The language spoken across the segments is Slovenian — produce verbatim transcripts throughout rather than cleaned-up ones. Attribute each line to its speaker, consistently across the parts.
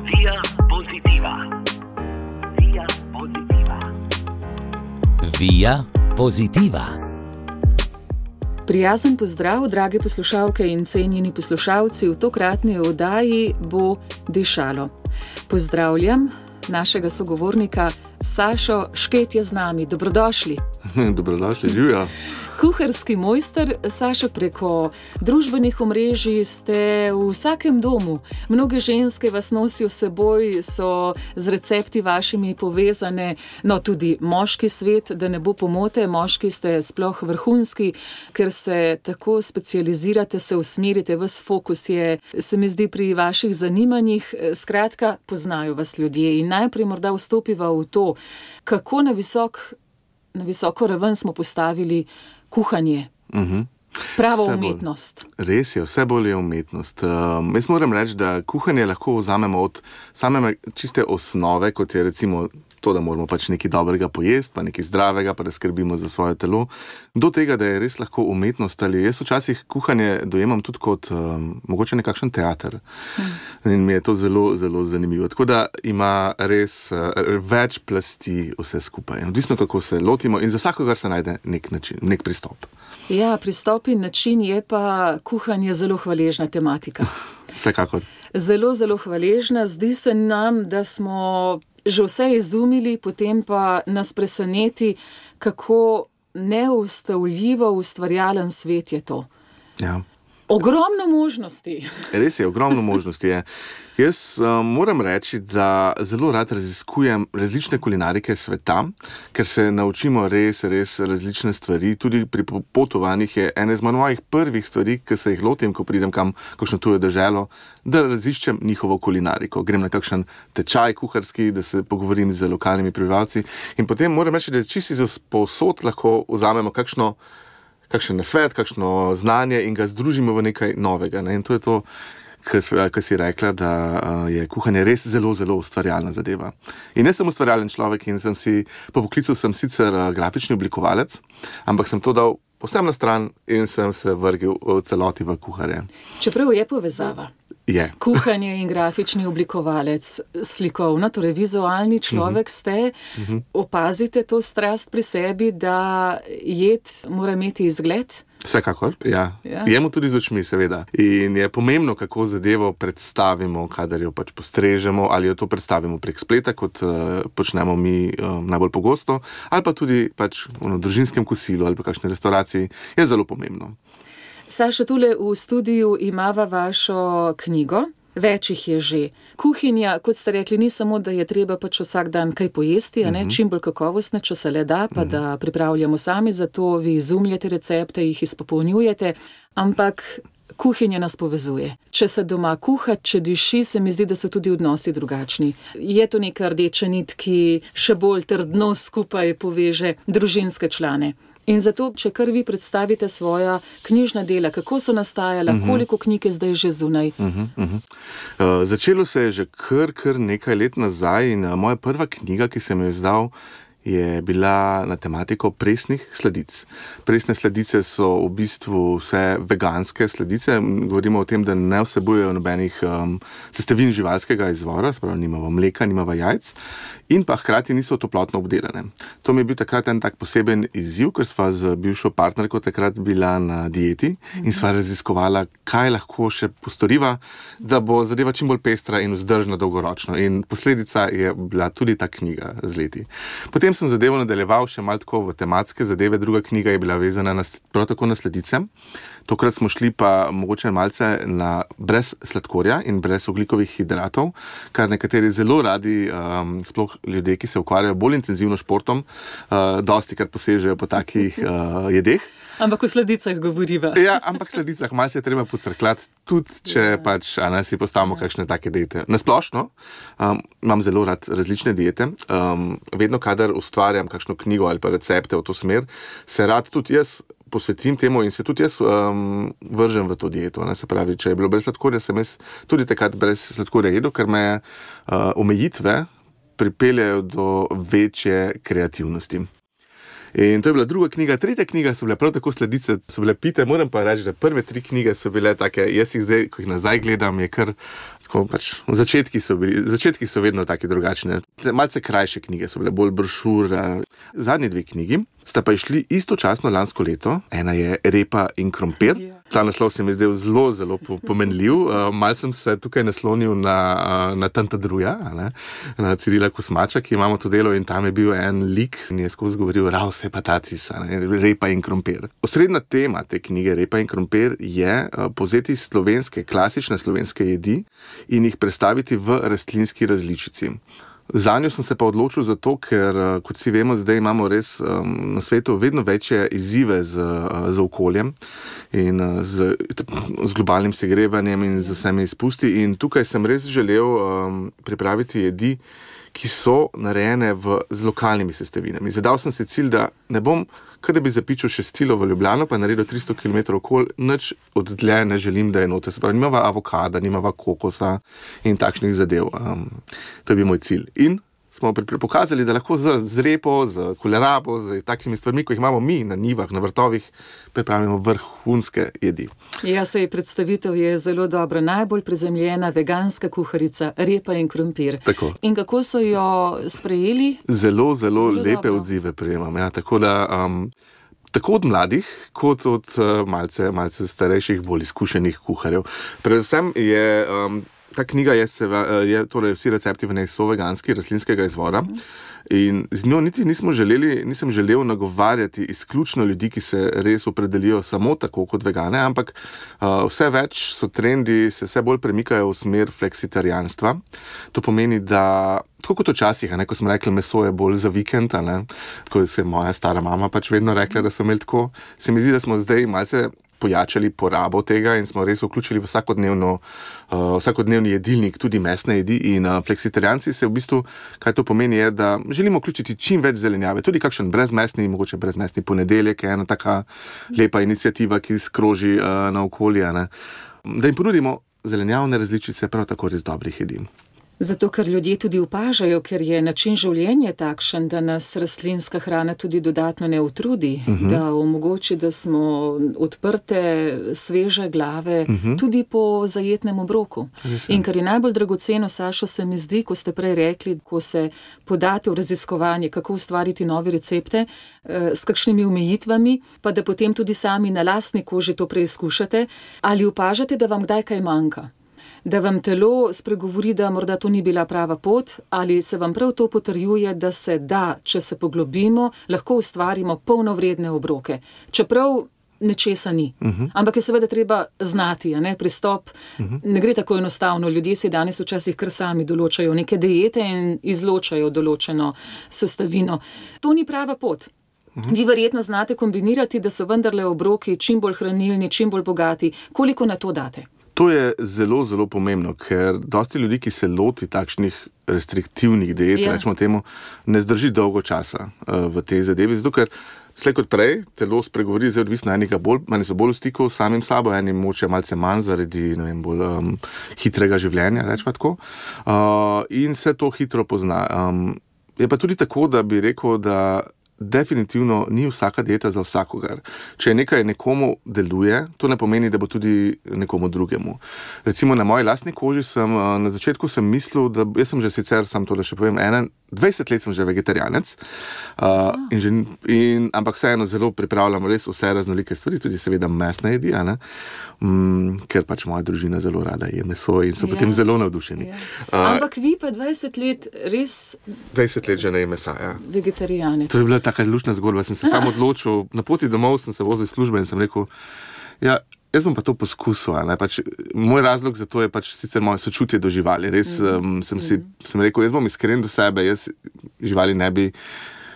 Speaker 1: Via Positiva. Via Positiva.
Speaker 2: Via Positiva.
Speaker 3: Prijazen pozdrav, drage poslušalke in cenjeni poslušalci, v tokratni oddaji bo dišalo. Pozdravljam našega sogovornika Sašo Šket je z nami. Dobrodošli.
Speaker 4: Dobrodošli, živja.
Speaker 3: Kuharski mojster, Sašo, preko družbenih omrežij ste v vsakem domu. Mnoge ženske vas nosijo s seboj, so z recepti vašimi povezane, no tudi moški svet, da ne bo pomote, moški ste sploh vrhunski, ker se tako specializirate, se usmerite, ves fokus je, se mi zdi, pri vaših zanimanjih. Skratka, poznajo vas ljudje in najprej morda vstopiva v to, kako na visok, na visoko raven smo postavili kuhanje. Uh-huh. Prava umetnost.
Speaker 4: Res je, vse bolj je umetnost. Um, jaz moram reči, da kuhanje lahko vzamemo od same čiste osnove, kot je recimo to, da moramo pač nekaj dobrega pojesti, pa nekaj zdravega, pa da skrbimo za svoje telo, do tega, da je res lahko umetnost. Ali jaz včasih kuhanje dojemam tudi kot um, mogoče nekakšen teater. Hmm. In mi je to zelo, zelo zanimivo. Tako da ima res uh, več plasti vse skupaj. Odvisno, kako se lotimo in za vsakogar se najde nek način, nek pristop.
Speaker 3: Ja, pristop in način, je pa kuhanje zelo hvaležna tematika.
Speaker 4: Vsekakor.
Speaker 3: Zelo, zelo hvaležna. Zdi se nam, da smo že vse izumili, potem pa nas preseneti, kako neustavljivo ustvarjalen svet je to.
Speaker 4: Ja.
Speaker 3: Ogromno možnosti.
Speaker 4: Res je, ogromno možnosti je. Jaz um, moram reči, da zelo rad raziskujem različne kulinarike sveta, ker se naučimo res, res različne stvari. Tudi pri potovanjih je ena izmed mojih prvih stvari, ki se jih lotim, ko pridem kam, kakšno tujo deželo, da raziščem njihovo kulinariko. Grem na kakšen tečaj kuharski, da se pogovorim z lokalnimi prebivalci in potem moram reči, da čisto iz povsod lahko vzamemo kakšno kakšen nasvet, kakšno znanje in ga združimo v nekaj novega. Ne? In to je to, kar si rekla, da je kuhanje res zelo, zelo ustvarjalna zadeva. In jaz sem ustvarjalen človek in sem si, po poklicu sem sicer grafični oblikovalec, ampak sem to dal povsem na stran in sem se vrgel v celoti v kuharje.
Speaker 3: Čeprav je povezava.
Speaker 4: Je.
Speaker 3: Kuhanje in grafični oblikovalec, slikovno, torej vizualni človek ste, uh-huh. Opazite to strast pri sebi, da jed mora imeti izgled?
Speaker 4: Vsekakor, ja. ja. Jemo tudi z očmi, seveda. In je pomembno, kako zadevo predstavimo, kadar jo pač postrežemo, ali jo to predstavimo prek spleta, kot uh, počnemo mi uh, najbolj pogosto, ali pa tudi pač v družinskem kosilu ali pa kakšni restauraciji, je zelo pomembno.
Speaker 3: Saša, tule v studiu imava vašo knjigo, več jih je že. Kuhinja, kot ste rekli, ni samo, da je treba pač vsak dan kaj pojesti, a ne, uh-huh. čim bolj kakovostne, če se le da, pa uh-huh. da pripravljamo sami, zato vi izumljate recepte, jih izpopolnjujete, ampak kuhinja nas povezuje. Če se doma kuha, če diši, se mi zdi, da so tudi odnosi drugačni. Je to neka rdeča nit, ki še bolj trdno skupaj poveže družinske člane. In zato, če kar vi predstavite svoja knjižna dela, kako so nastajala, uh-huh. koliko knjig je zdaj že zunaj?
Speaker 4: Uh-huh, uh-huh. Uh, začelo se je že kar, kar nekaj let nazaj in uh, moja prva knjiga, ki sem jo izdal, je bila na tematiko presnih sladic. Presne sladice so v bistvu vse veganske sladice. Govorimo o tem, da ne vsebujejo nobenih um, sestavin živalskega izvora, spravo nimava mleka, nimava jajc in pa hkrati niso toplotno obdelane. To mi je bil takrat en tak poseben izziv, ker sva z bivšo partnerko takrat bila na dieti in sva raziskovala, kaj lahko še postoriva, da bo zadeva čim bolj pestra in vzdržna dolgoročno. In posledica je bila tudi ta knjiga z leti. Potem sem zadevo nadaljeval še malo tako v tematske zadeve, druga knjiga je bila vezana na, prav tako na sladice. Tokrat smo šli pa mogoče malce na brez sladkorja in brez ogljikovih hidratov, kar nekateri zelo radi, um, sploh ljudje, ki se ukvarjajo bolj intenzivno športom, uh, dosti kar posežejo po takih uh, jedeh.
Speaker 3: Ampak o sladicah govoriva.
Speaker 4: Ja, ampak sladicah malo se je treba pocrklati, tudi če ja. pač a ne si postavimo ja. kakšne take diete. Nasplošno um, imam zelo rad različne diete. Um, vedno, kadar ustvarjam kakšno knjigo ali pa recepte v to smer, se rad tudi jaz posvetim temu in se tudi jaz um, vržem v to dieto. Ne? Se pravi, če je bilo brez sladkorja, sem jaz tudi takrat brez sladkorja jedel, ker me uh, omejitve pripeljajo do večje kreativnosti. In to je bila druga knjiga. Tretja knjiga so bile prav tako sladice, so bile pite. Moram pa reči, da prve tri knjige so bile take, jaz jih zdaj, ko jih nazaj gledam, je kar, Tako pač, začetki, so bili, začetki so vedno taki drugačni. Malce krajše knjige so bile, bolj brošure. Zadnji dve knjigi sta pa išli istočasno lansko leto. Ena je Repa in krompir. Ta naslov se mi zdel zelo, zelo pomenljiv. Uh, mal sem se tukaj naslonil na, uh, na Tantadruja, ne? Na Cirila Kosmača, ki imamo to delo, in tam je bil en lik, in je skozi govoril Raus hepatatis, Repa in krompir. Osrednja tema te knjige Repa in krompir je uh, povzeti slovenske, klasične slovenske jedi in jih predstaviti v rastlinski različici. Zanjo sem se pa odločil zato, ker, kot si vemo, zdaj imamo res um, na svetu vedno večje izzive z, z okoljem in z, z globalnim segrevanjem in z vsemi izpusti. In tukaj sem res želel um, pripraviti jedi, ki so narejene v, z lokalnimi sestavinami. Zadal sem si cilj, da ne bom, kar da bi zapičil šestilo v Ljubljano, pa naredil tristo kilometrov okoli, nič od dlje ne želim, da je noter. Se pravi, nimava avokada, nimava kokosa in takšnih zadev. Um, to je bil moj cilj. In smo pokazali, da lahko z, z repo, z kolerabo, z takšnimi stvarmi, ko jih imamo mi na njivah, na vrtovih, pripravimo vrhunske jedi.
Speaker 3: Ja, sej predstavitev je zelo dobra. Najbolj prizemljena veganska kuharica, repa in krompir.
Speaker 4: Tako.
Speaker 3: In kako so jo sprejeli?
Speaker 4: Zelo, zelo, zelo lepe
Speaker 3: dobro.
Speaker 4: Odzive prejemam. Ja, tako da... Um, Tako od mladih, kot od uh, malce, malce starejših, bolj izkušenih kuharjev. Predvsem je, um, ta knjiga je, se, je torej vsi recepti v njej so veganski, rastlinskega izvora. In z njo niti nismo želeli, nisem želel nagovarjati izključno ljudi, ki se res opredelijo samo tako kot vegane, ampak uh, vse več so trendi, se vse bolj premikajo v smer fleksitarijanstva. To pomeni, da tako kot včasih, ne, ko smo rekli, meso je bolj za vikend, ne, tako se je moja stara mama pač vedno rekla, da so imeli tako, se mi zdi, da smo zdaj malce pojačali porabo tega in smo res vključili v vsakodnevno, uh, vsakodnevni jedilnik, tudi mesne jedi. In uh, fleksitarijanci se v bistvu, kaj to pomeni, je, da želimo vključiti čim več zelenjave, tudi kakšen brezmesni, mogoče brezmesni ponedeljek, je ena taka lepa iniciativa, ki skroži uh, na okolje, ne. Da jim ponudimo zelenjavne različice prav tako res dobrih jedi.
Speaker 3: Zato, ker ljudje tudi opažajo, ker je način življenja takšen, da nas rastlinska hrana tudi dodatno ne utrudi, uh-huh. da omogoči, da smo odprte, sveže glave, uh-huh. tudi po zajetnem obroku. Mislim. In kar je najbolj dragoceno, Sašo, se mi zdi, ko ste prej rekli, ko se podate v raziskovanje, kako ustvariti nove recepte, eh, s kakšnimi omejitvami, pa da potem tudi sami na lastni koži to preizkušate, ali opažate, da vam kdaj kaj manjka? Da vam telo spregovori, da morda to ni bila prava pot, ali se vam prav to potrjuje, da se da, če se poglobimo, lahko ustvarimo polnovredne obroke. Čeprav nečesa ni. Uh-huh. Ampak je seveda treba znati, a ne, pristop. Uh-huh. Ne gre tako enostavno. Ljudje si danes včasih kar sami določajo neke diete in izločajo določeno sestavino. To ni prava pot. Uh-huh. Vi verjetno znate kombinirati, da so vendarle obroki čim bolj hranilni, čim bolj bogati. Koliko na to date?
Speaker 4: To je zelo, zelo pomembno, ker dosti ljudi, ki se loti takšnih restriktivnih diet, ja. rečemo temu, ne zdrži dolgo časa uh, v tej zadevi, zato ker slej kot prej telo spregovori, zdaj odvisno enega bolj, manj so bolj v stiku s samim sabo, enim moče malce manj zaradi, ne vem, bolj um, hitrega življenja, rečemo tako, uh, in se to hitro pozna. Um, je pa tudi tako, da bi rekel, da definitivno ni vsaka dieta za vsakogar. Če nekaj nekomu deluje, to ne pomeni, da bo tudi nekomu drugemu. Recimo na moji lastni koži sem, na začetku sem mislil, da jaz sem že sicer, sam to da še povem, ena, dvajset let sem že vegetarijanec, uh, in že, in, ampak vseeno zelo pripravljam res vse raznolike stvari, tudi seveda mesne jedi, a ne? Mm, ker pač moja družina zelo rada je meso in so ja. potem zelo navdušeni.
Speaker 3: Ja.
Speaker 4: Uh,
Speaker 3: ampak vi pa dvajset let res...
Speaker 4: dvajset let že ne je mesa, ja.
Speaker 3: Vegetarijanec.
Speaker 4: To je bila taka luštna zgodba, sem se sam odločil, na poti domov sem se vozil iz službe in sem rekel, ja, jaz bom pa to poskusil, ne, pač, moj razlog za to je pač sicer moje sočutje do živali, res mm. um, sem si, sem rekel, jaz bom iskren do sebe, jaz živali ne bi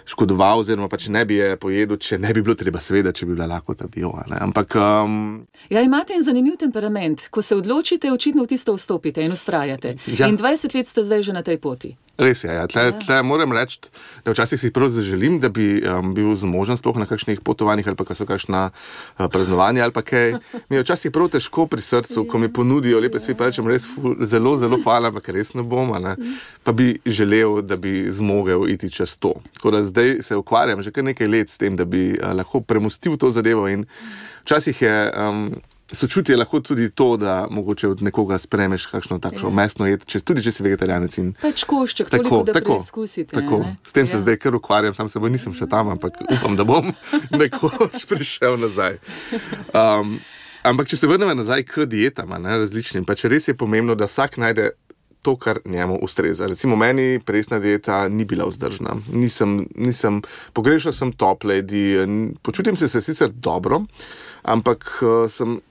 Speaker 4: škodoval, oziroma pač ne bi je pojedel, če ne bi bilo treba, seveda, če bi bila lakota bio, ne, ampak... Um...
Speaker 3: Ja, imate en zanimiv temperament, ko se odločite, očitno v tisto vstopite in ustrajate. Ja. In dvajset let ste zdaj že na tej poti.
Speaker 4: Res je, ja. Tle, tle moram reči, da včasih si prav zaželim, da bi um, bil zmožen sploh na kakšnih potovanjih ali pa so kakšna uh, praznovanja ali pa kaj. Mi je včasih prav težko pri srcu, ko mi ponudijo lepe stvari, pa rečem res ful, zelo, zelo hvala, ampak res ne bom, ne. Pa bi želel, da bi zmogel iti čez to. Tako da zdaj se ukvarjam že kar nekaj let s tem, da bi uh, lahko premustil to zadevo in včasih je... Um, sočutje je lahko tudi to, da mogoče od nekoga spremeš kakšno takšno ja. mesno jed, če, tudi če si vegetarijanec. In...
Speaker 3: Pač košček, toliko, da tako, preizkusite.
Speaker 4: Tako. S tem se
Speaker 3: ja.
Speaker 4: zdaj kar ukvarjam, sam se bo nisem še tam, ampak upam, da bom nekoč prišel nazaj. Um, ampak če se vrnemo nazaj k dietam, ne, različnim, pač res je pomembno, da vsak najde to, kar njemu ustreza. Recimo meni presna dieta ni bila vzdržna. Nisem, nisem, pogrešal sem tople jedi, počutim se se sicer dobro, ampak uh, sem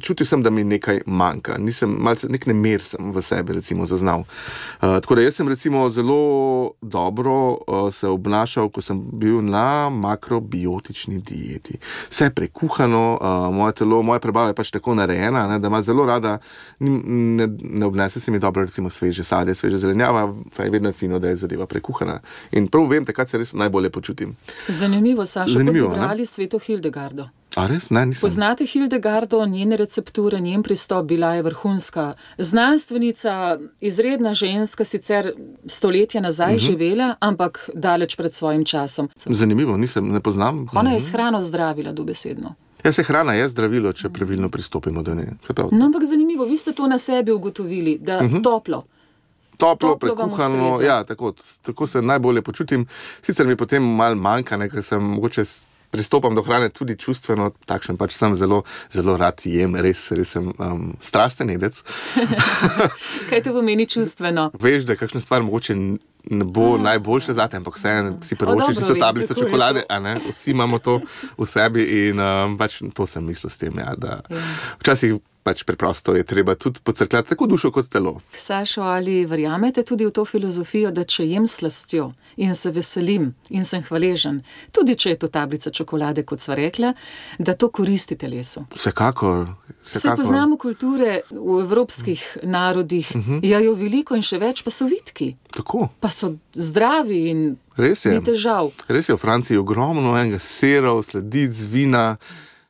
Speaker 4: čutil sem, da mi nekaj manjka. Nisem, malce, nek nemer sem v sebi, recimo, zaznal. Uh, tako da jaz sem, recimo, zelo dobro uh, se obnašal, ko sem bil na makrobiotični dieti. Vse prekuhano, uh, moje telo, moja prebava je pač tako narejena, ne, da ima zelo rada, ne, ne obnese se mi dobro, recimo, sveže sadje, sveže zelenjava, pa je vedno fino, da je zadeva prekuhana. In prav vem, takrat se res najbolje počutim.
Speaker 3: Zanimivo, Sašo,
Speaker 4: Zanimivo,
Speaker 3: pa bi brali Sveto Hildegardo.
Speaker 4: A res? Ne, nisem.
Speaker 3: Poznate Hildegardo, njene recepture, njen pristop, bila je vrhunska znanstvenica, izredna ženska, sicer stoletja nazaj uh-huh. živela, ampak daleč pred svojim časom.
Speaker 4: Zanimivo, nisem, ne poznam.
Speaker 3: Ona je s hrano zdravila dobesedno.
Speaker 4: Ja, se hrana je zdravilo, če pravilno pristopimo do nje.
Speaker 3: No, ampak zanimivo, vi ste to na sebi ugotovili, da uh-huh. toplo.
Speaker 4: Toplo, prekuhano, ja, tako, tako se najbolje počutim. Sicer mi potem malo manjka, ne, ker sem mogoče pristopam do hrane tudi čustveno, takšen pač sem zelo, zelo rad jem, res, res sem um, strasten jedec.
Speaker 3: Kaj to pomeni čustveno?
Speaker 4: Veš, da kakšna stvar mogoče ne bo a, najboljša zate, ampak vseeno si privoščiš isto tablico čokolade, a ne? Vsi imamo to v sebi in um, pač to sem mislil s tem, ja, da ja. Včasih pač preprosto je treba tudi pocrkljati tako dušo kot telo.
Speaker 3: Sašo, ali verjamete tudi v to filozofijo, da če jem slastjo in se veselim in sem hvaležen, tudi če je to tablica čokolade, kot sva rekla, da to koristi telesu?
Speaker 4: Vsekakor.
Speaker 3: Se poznamo kulture v evropskih narodih, uh-huh. jajo veliko in še več, pa so vitki.
Speaker 4: Tako.
Speaker 3: Pa so zdravi in
Speaker 4: res je.
Speaker 3: Ni težav.
Speaker 4: Res je, v Franciji je ogromno enega serov, sladic, vina,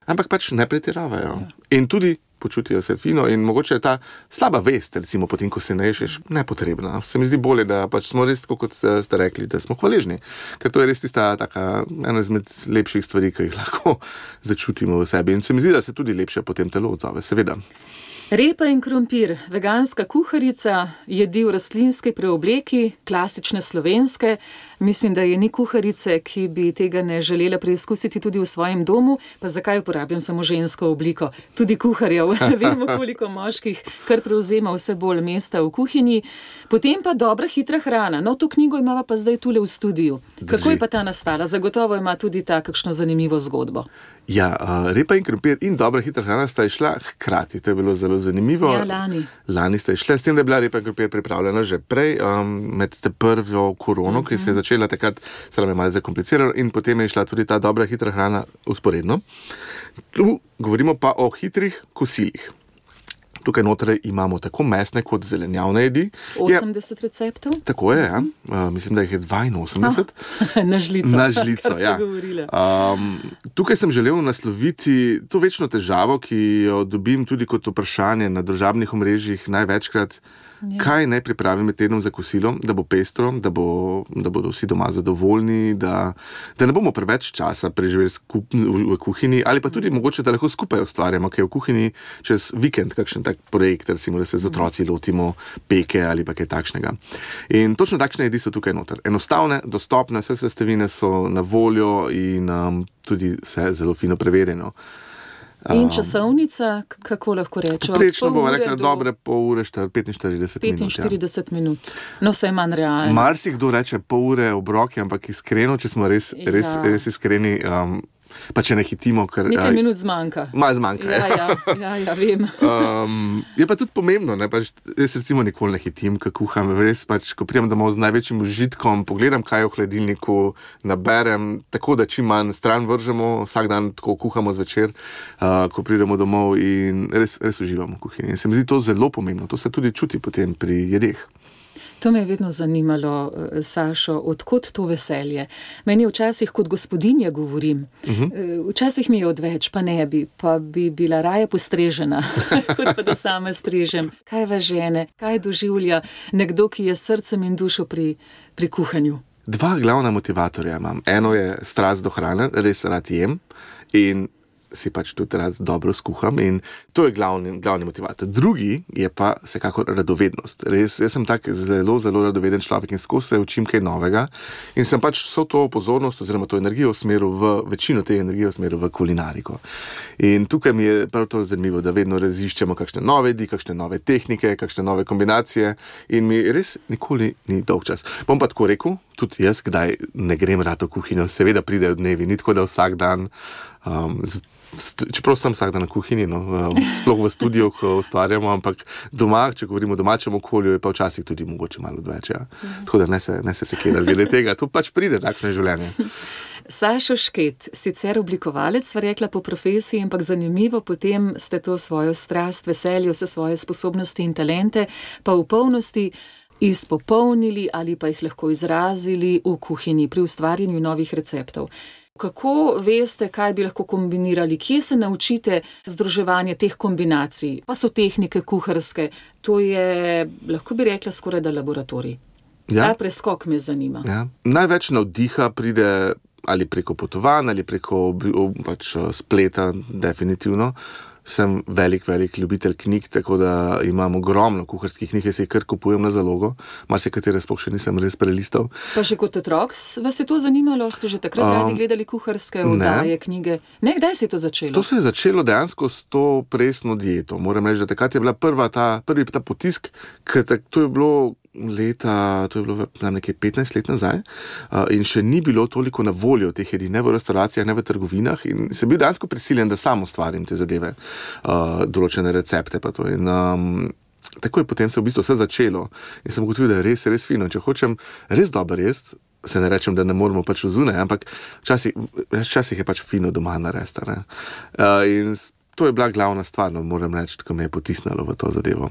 Speaker 4: ampak pač ne pretiravajo. Ja. In tudi počutijo se fino in mogoče je ta slaba vest, recimo potem, ko se naješ, nepotrebna. Se mi zdi bolje, da pač smo res, kot ste rekli, da smo hvaležni, ker to je res tista taka, ena izmed lepših stvari, ki jih lahko začutimo v sebi. In se mi zdi, da se tudi lepše potem telo odzove, seveda.
Speaker 3: Repa in krompir, veganska kuharica, jedi v rastlinski preobleki, klasične slovenske. Mislim, da je ni kuharice, ki bi tega ne želela preizkusiti tudi v svojem domu. Pa zakaj uporabljam samo žensko obliko? Tudi kuharjev. Vemo, koliko moških kar prevzema vse bolj mesta v kuhinji. Potem pa dobra, hitra hrana. No, to knjigo imava pa zdaj tule v studiu.
Speaker 4: Drži.
Speaker 3: Kako je pa ta nastala? Zagotovo ima tudi ta kakšno zanimivo zgodbo.
Speaker 4: Ja, uh, repa in krompir in dobra, hitra hrana sta išla hkrati. To je bilo zelo zanimivo.
Speaker 3: Ja, lani.
Speaker 4: Lani sta išla, s tem, da je bila repa in krompir pripravljena že prej, um, med te prvo korono, uh-huh. ki se je začela takrat, se nam je malo zakompliciralo in potem je išla tudi ta dobra, hitra hrana usporedno. Tu govorimo pa o hitrih kosilih. Tukaj notere imamo tako mesne kot zelenjavne jedi.
Speaker 3: osemdeset je, receptov?
Speaker 4: Tako je, ja. Uh, mislim, da jih je dvainosemdeset.
Speaker 3: Oh, na žlico.
Speaker 4: Na žlico, ja. Um, tukaj sem želel nasloviti to večno težavo, ki jo dobim tudi kot vprašanje na družabnih omrežjih največkrat. Ja. Kaj naj pripravim med tednom za kosilo, da bo pestro, da, bo, da bodo vsi doma zadovoljni, da, da ne bomo preveč časa preživeli skup, v, v kuhinji, ali pa tudi mogoče, da lahko skupaj ustvarjamo, kaj v kuhinji čez vikend, kakšen tak projekt, recimo, da se z otroci lotimo peke ali pa kaj takšnega. In točno takšne jedi so tukaj noter. Enostavne, dostopne, vse sestavine so na voljo in um, tudi vse zelo fino preverjeno.
Speaker 3: In časovnica, kako lahko rečemo?
Speaker 4: Prečno bomo rekli, do... dobre pol ure, petinštirideset minut.
Speaker 3: petinštirideset minut. No, vse je manj realno.
Speaker 4: Marsikdo reče pol ure obroki, ampak iskreno, če smo res, ja. res, res iskreni, um, pa če ne hitimo, ker...
Speaker 3: Nekaj minut zmanjka.
Speaker 4: Malo zmanjka,
Speaker 3: ja. Ja, ja, ja, ja vem.
Speaker 4: um, je pa tudi pomembno, ne, pač, jaz recimo nikoli ne hitim, ko kuham, res pač, ko pridem domov z največjim užitkom, pogledam, kaj je v hladilniku, naberem, tako da čim manj stran vržemo, vsak dan tako kuhamo zvečer, uh, ko pridemo domov in res, res uživamo v kuhinji. Se mi zdi to zelo pomembno, to se tudi čuti potem pri jedeh.
Speaker 3: To me je vedno zanimalo, Sašo, odkot to veselje. Meni včasih kot gospodinja govorim, uh-huh. včasih mi je odveč, pa ne bi, pa bi bila raje postrežena, kot pa da sama strežem. Kaj vas žene, kaj doživlja nekdo, ki je srcem in dušo pri, pri kuhanju?
Speaker 4: Dva glavna motivatorja imam. Eno je strast do hrane, res rad jem in si pač tudi rad dobro skuham in to je glavni, glavni motivator. Drugi je pa vsekakor radovednost. Res, jaz sem tak zelo, zelo radoveden človek in skozi se učim kaj novega in sem pač vso to pozornost oziroma to energijo usmeril v, večino te energije usmeril v kulinariko. In tukaj mi je prav to zanimivo, da vedno raziščemo kakšne nove jedi, kakšne nove tehnike, kakšne nove kombinacije in mi res nikoli ni dolg čas. Bom pa tako rekel, tudi jaz, kdaj ne grem rad v kuhinjo, seveda pridejo dnevi, ni tako, da vsak dan um, z, čeprav sem vsak dan na kuhinji, no, sploh v studiu, ko ustvarjamo, ampak doma, če govorimo o domačem okolju, je pa včasih tudi mogoče malo odveč. Ja. Tako da ne se, ne se sekirati glede tega, to pač pride takšno življenje.
Speaker 3: Sašo Šket, sicer oblikovalec, sva rekla po profesiji, ampak zanimivo, potem ste to svojo strast, veselje, vse svoje sposobnosti in talente, pa v polnosti izpopolnili ali pa jih lahko izrazili v kuhinji pri ustvarjanju novih receptov. Kako veste, kaj bi lahko kombinirali? Kje se naučite združevanje teh kombinacij? Pa so tehnike kuharske. To je, lahko bi rekla, skoraj da laboratorij.
Speaker 4: Ja.
Speaker 3: Ta preskok me zanima.
Speaker 4: Ja. Največ navdiha pride ali preko potovanj, ali preko pač, spleta, definitivno. Sem velik, velik ljubitelj knjig, tako da imam ogromno kuharskih knjig, jaz jih kar kupujem na zalogo, marsikatere sploh še nisem res prelistal.
Speaker 3: Pa še kot otrok vas je to zanimalo? Ste že takrat radi gledali kuharske oddaje, knjige? Ne, kdaj se je to začelo?
Speaker 4: To se je začelo dejansko s to presno dieto. Moram reči, da takrat je bila prva ta, prvi ta potisk, ker to je bilo leta, to je bilo nekaj petnajst let nazaj uh, in še ni bilo toliko na voljo teh jedi, ne v restauracijah, ne v trgovinah in sem bil dejansko prisiljen, da sam ustvarim te zadeve, uh, določene recepte pa to in um, tako je potem se v bistvu vse začelo in sem ugotovil, da je res, res fino. Če hočem res dober jesti, se ne rečem, da ne moramo pač vzune, ampak včasih, včasih je pač fino doma narediti. Uh, in to je bila glavna stvar, no, moram reči, ko me je potisnilo v to zadevo.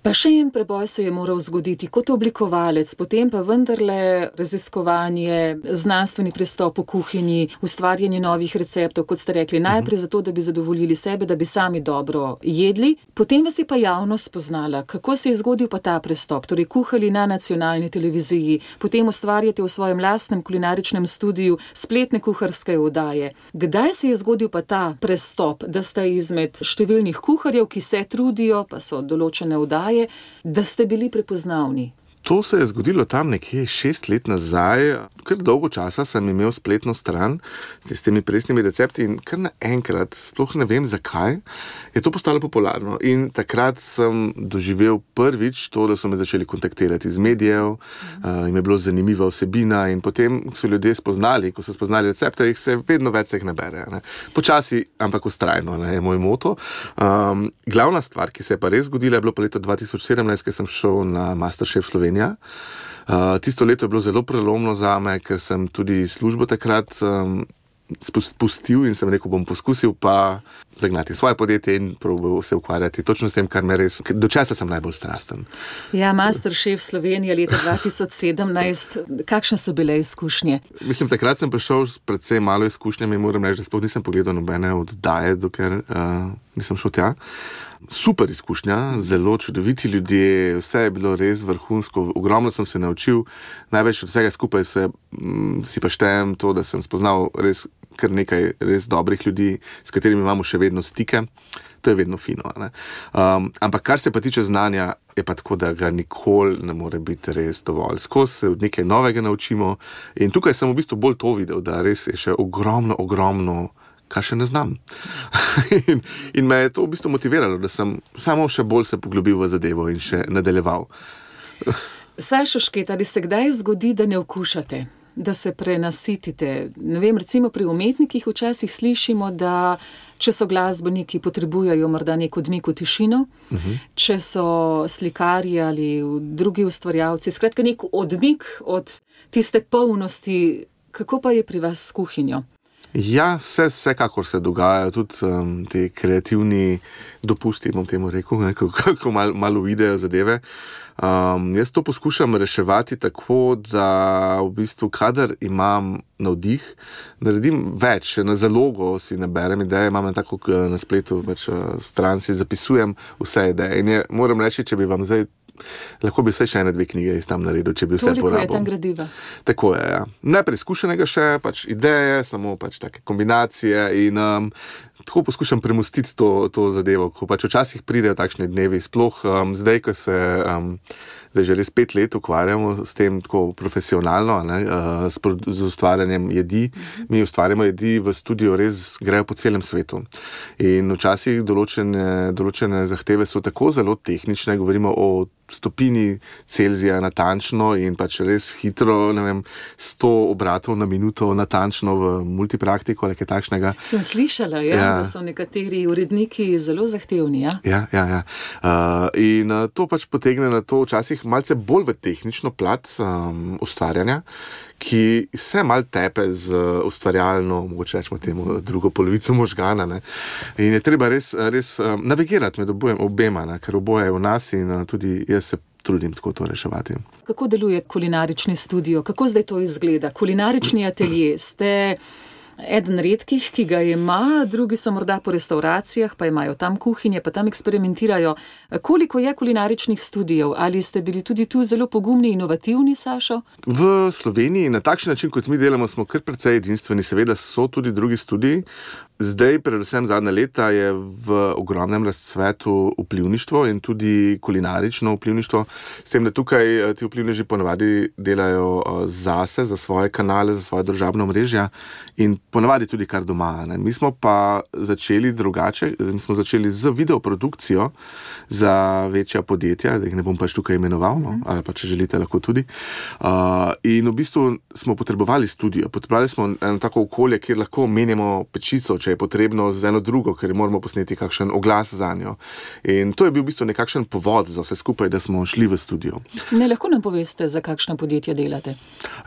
Speaker 3: Pa še en preboj se je moral zgoditi kot oblikovalec, potem pa vendarle raziskovanje, znanstveni pristop v kuhinji, ustvarjanje novih receptov, kot ste rekli, najprej zato, da bi zadovoljili sebe, da bi sami dobro jedli. Potem vas je pa javnost spoznala. Kako se je zgodil pa ta pristop? Torej, kuhali na nacionalni televiziji, potem ustvarjate v svojem lastnem kulinaričnem studiu spletne kuharske oddaje. Kdaj se je zgodil pa ta prestop, da ste izmed številnih kuharjev, ki se trudijo, pa so določene oddaje, da ste bili prepoznavni?
Speaker 4: To se je zgodilo tam nekje šest let nazaj, kar dolgo časa sem imel spletno stran s temi presnimi recepti in kar naenkrat, sploh ne vem zakaj, je to postalo popularno in takrat sem doživel prvič to, da so me začeli kontaktirati iz medijev, uh, in je bilo zanimiva vsebina in potem so ljudje spoznali, ko so spoznali recepte, jih se vedno več se jih nabere. Ne. Počasi, ampak vztrajno, ne, je moj moto. Um, glavna stvar, ki se je pa res zgodila, je bilo pa leto dva tisoč sedemnajst, ko sem šel na Masterchef Slovenija. Uh, tisto leto je bilo zelo prelomno zame, ker sem tudi službo takrat um, pustil in sem rekel, bom poskusil pa zagnati svoje podjetje in probal se ukvarjati točno s tem, kar me res, do česa sem najbolj strasten.
Speaker 3: Ja, Masterchef Slovenija leta dva tisoč sedemnajst, kakšne so bile izkušnje?
Speaker 4: Mislim, takrat sem prišel s predvsem malo izkušnjami, moram reči, da sploh nisem pogledal nobene oddaje, dokler uh, nisem šel tja. Super izkušnja, zelo čudoviti ljudje, vse je bilo res vrhunsko, ogromno sem se naučil, največ od vsega skupaj se, m, si pa štejem to, da sem spoznal res kar nekaj res dobrih ljudi, s katerimi imamo še vedno stike, to je vedno fino. Ne? Um, ampak kar se pa tiče znanja, je pa tako, da ga nikoli ne more biti res dovolj. Skozi se nekaj novega naučimo in tukaj sem v bistvu bolj to videl, da res je še ogromno, ogromno kar še ne znam. in, in me je to v bistvu motiviralo, da sem samo še bolj se poglobil v zadevo in še nadaljeval.
Speaker 3: Sašo Šket, ali se kdaj zgodi, da ne okušate, da se prenasitite? Ne vem, recimo pri umetnikih včasih slišimo, da če so glasbeniki, potrebujejo morda nek odmik v tišino, uh-huh. če so slikarji ali drugi ustvarjalci, skratka nek odmik od tiste polnosti. Kako pa je pri vas s kuhinjo?
Speaker 4: Ja, vse, vsekakor se dogajajo, tudi um, te kreativni dopusti, bom temu rekel, ne, kako mal, malo videjo zadeve. Um, jaz to poskušam reševati tako, da v bistvu, kadar imam navdih, naredim več, na zalogo si naberem ideje, imam na tako na spletu več stran, si zapisujem vse ideje. In je, moram reči, če bi vam zdaj lahko bi vse še ene dve knjige iz tam naredil, če bi vse porabil.
Speaker 3: Toliko je tam gradiva.
Speaker 4: Tako je, ja. Nepreizkušenega še, pač ideje, samo pač take kombinacije in um, tako poskušam premostiti to, to zadevo, ko pač včasih pridejo takšni dnevi, sploh um, zdaj, ko se um, zdaj že res pet let ukvarjamo s tem tako profesionalno, ne, uh, s, z ustvarjanjem jedi. Mi ustvarjamo jedi v studiu, res grejo po celem svetu. In včasih določene, določene zahteve so tako zelo tehnične, govorimo o stopini Celzija natančno in pač res hitro, ne vem, sto obratov na minuto natančno v multipraktiko ali kaj takšnega.
Speaker 3: Sem slišala, ja, ja. Da so nekateri uredniki zelo zahtevni. Ja,
Speaker 4: ja, ja. ja. Uh, in uh, to pač potegne na to včasih malce bolj v tehnično plat um, ustvarjanja, ki se mal tepe z ustvarjalno, mogoče rečemo temu, drugo polovico možgana. Ne? In je treba res, res um, navigirati med obojem, obema, ne? Ker oboje je v nas in uh, tudi jaz se trudim tako to reševati.
Speaker 3: Kako deluje kulinarični studio? Kako zdaj to izgleda? Kulinarični atelje ste eden redkih, ki ga ima, drugi so morda po restauracijah, pa imajo tam kuhinje, pa tam eksperimentirajo. Koliko je kulinaričnih studijev? Ali ste bili tudi tu zelo pogumni, inovativni, Sašo?
Speaker 4: V Sloveniji na takšen način, kot mi delamo, smo kar precej edinstveni. Seveda so tudi drugi studiji. Zdaj, predvsem zadnja leta, je v ogromnem razcvetu vplivništvo in tudi kulinarično vplivništvo. S tem, da tukaj ti vplivneži ponavadi delajo zase, za svoje kanale, za svoje družabno omrežja in ponavadi tudi kar doma. Ne. Mi smo pa začeli drugače, mi smo začeli z videoprodukcijo za večja podjetja, da jih ne bom pač tukaj imenoval, no, ali pa če želite, lahko tudi. Uh, in v bistvu smo potrebovali studio, potrebovali smo eno tako okolje, kjer lahko menjamo pečico, če je potrebno, z eno drugo, ker moramo posneti kakšen oglas za njo. In to je bil v bistvu nekakšen povod za vse skupaj, da smo šli v studio.
Speaker 3: Ne, lahko nam poveste, za kakšno podjetje delate?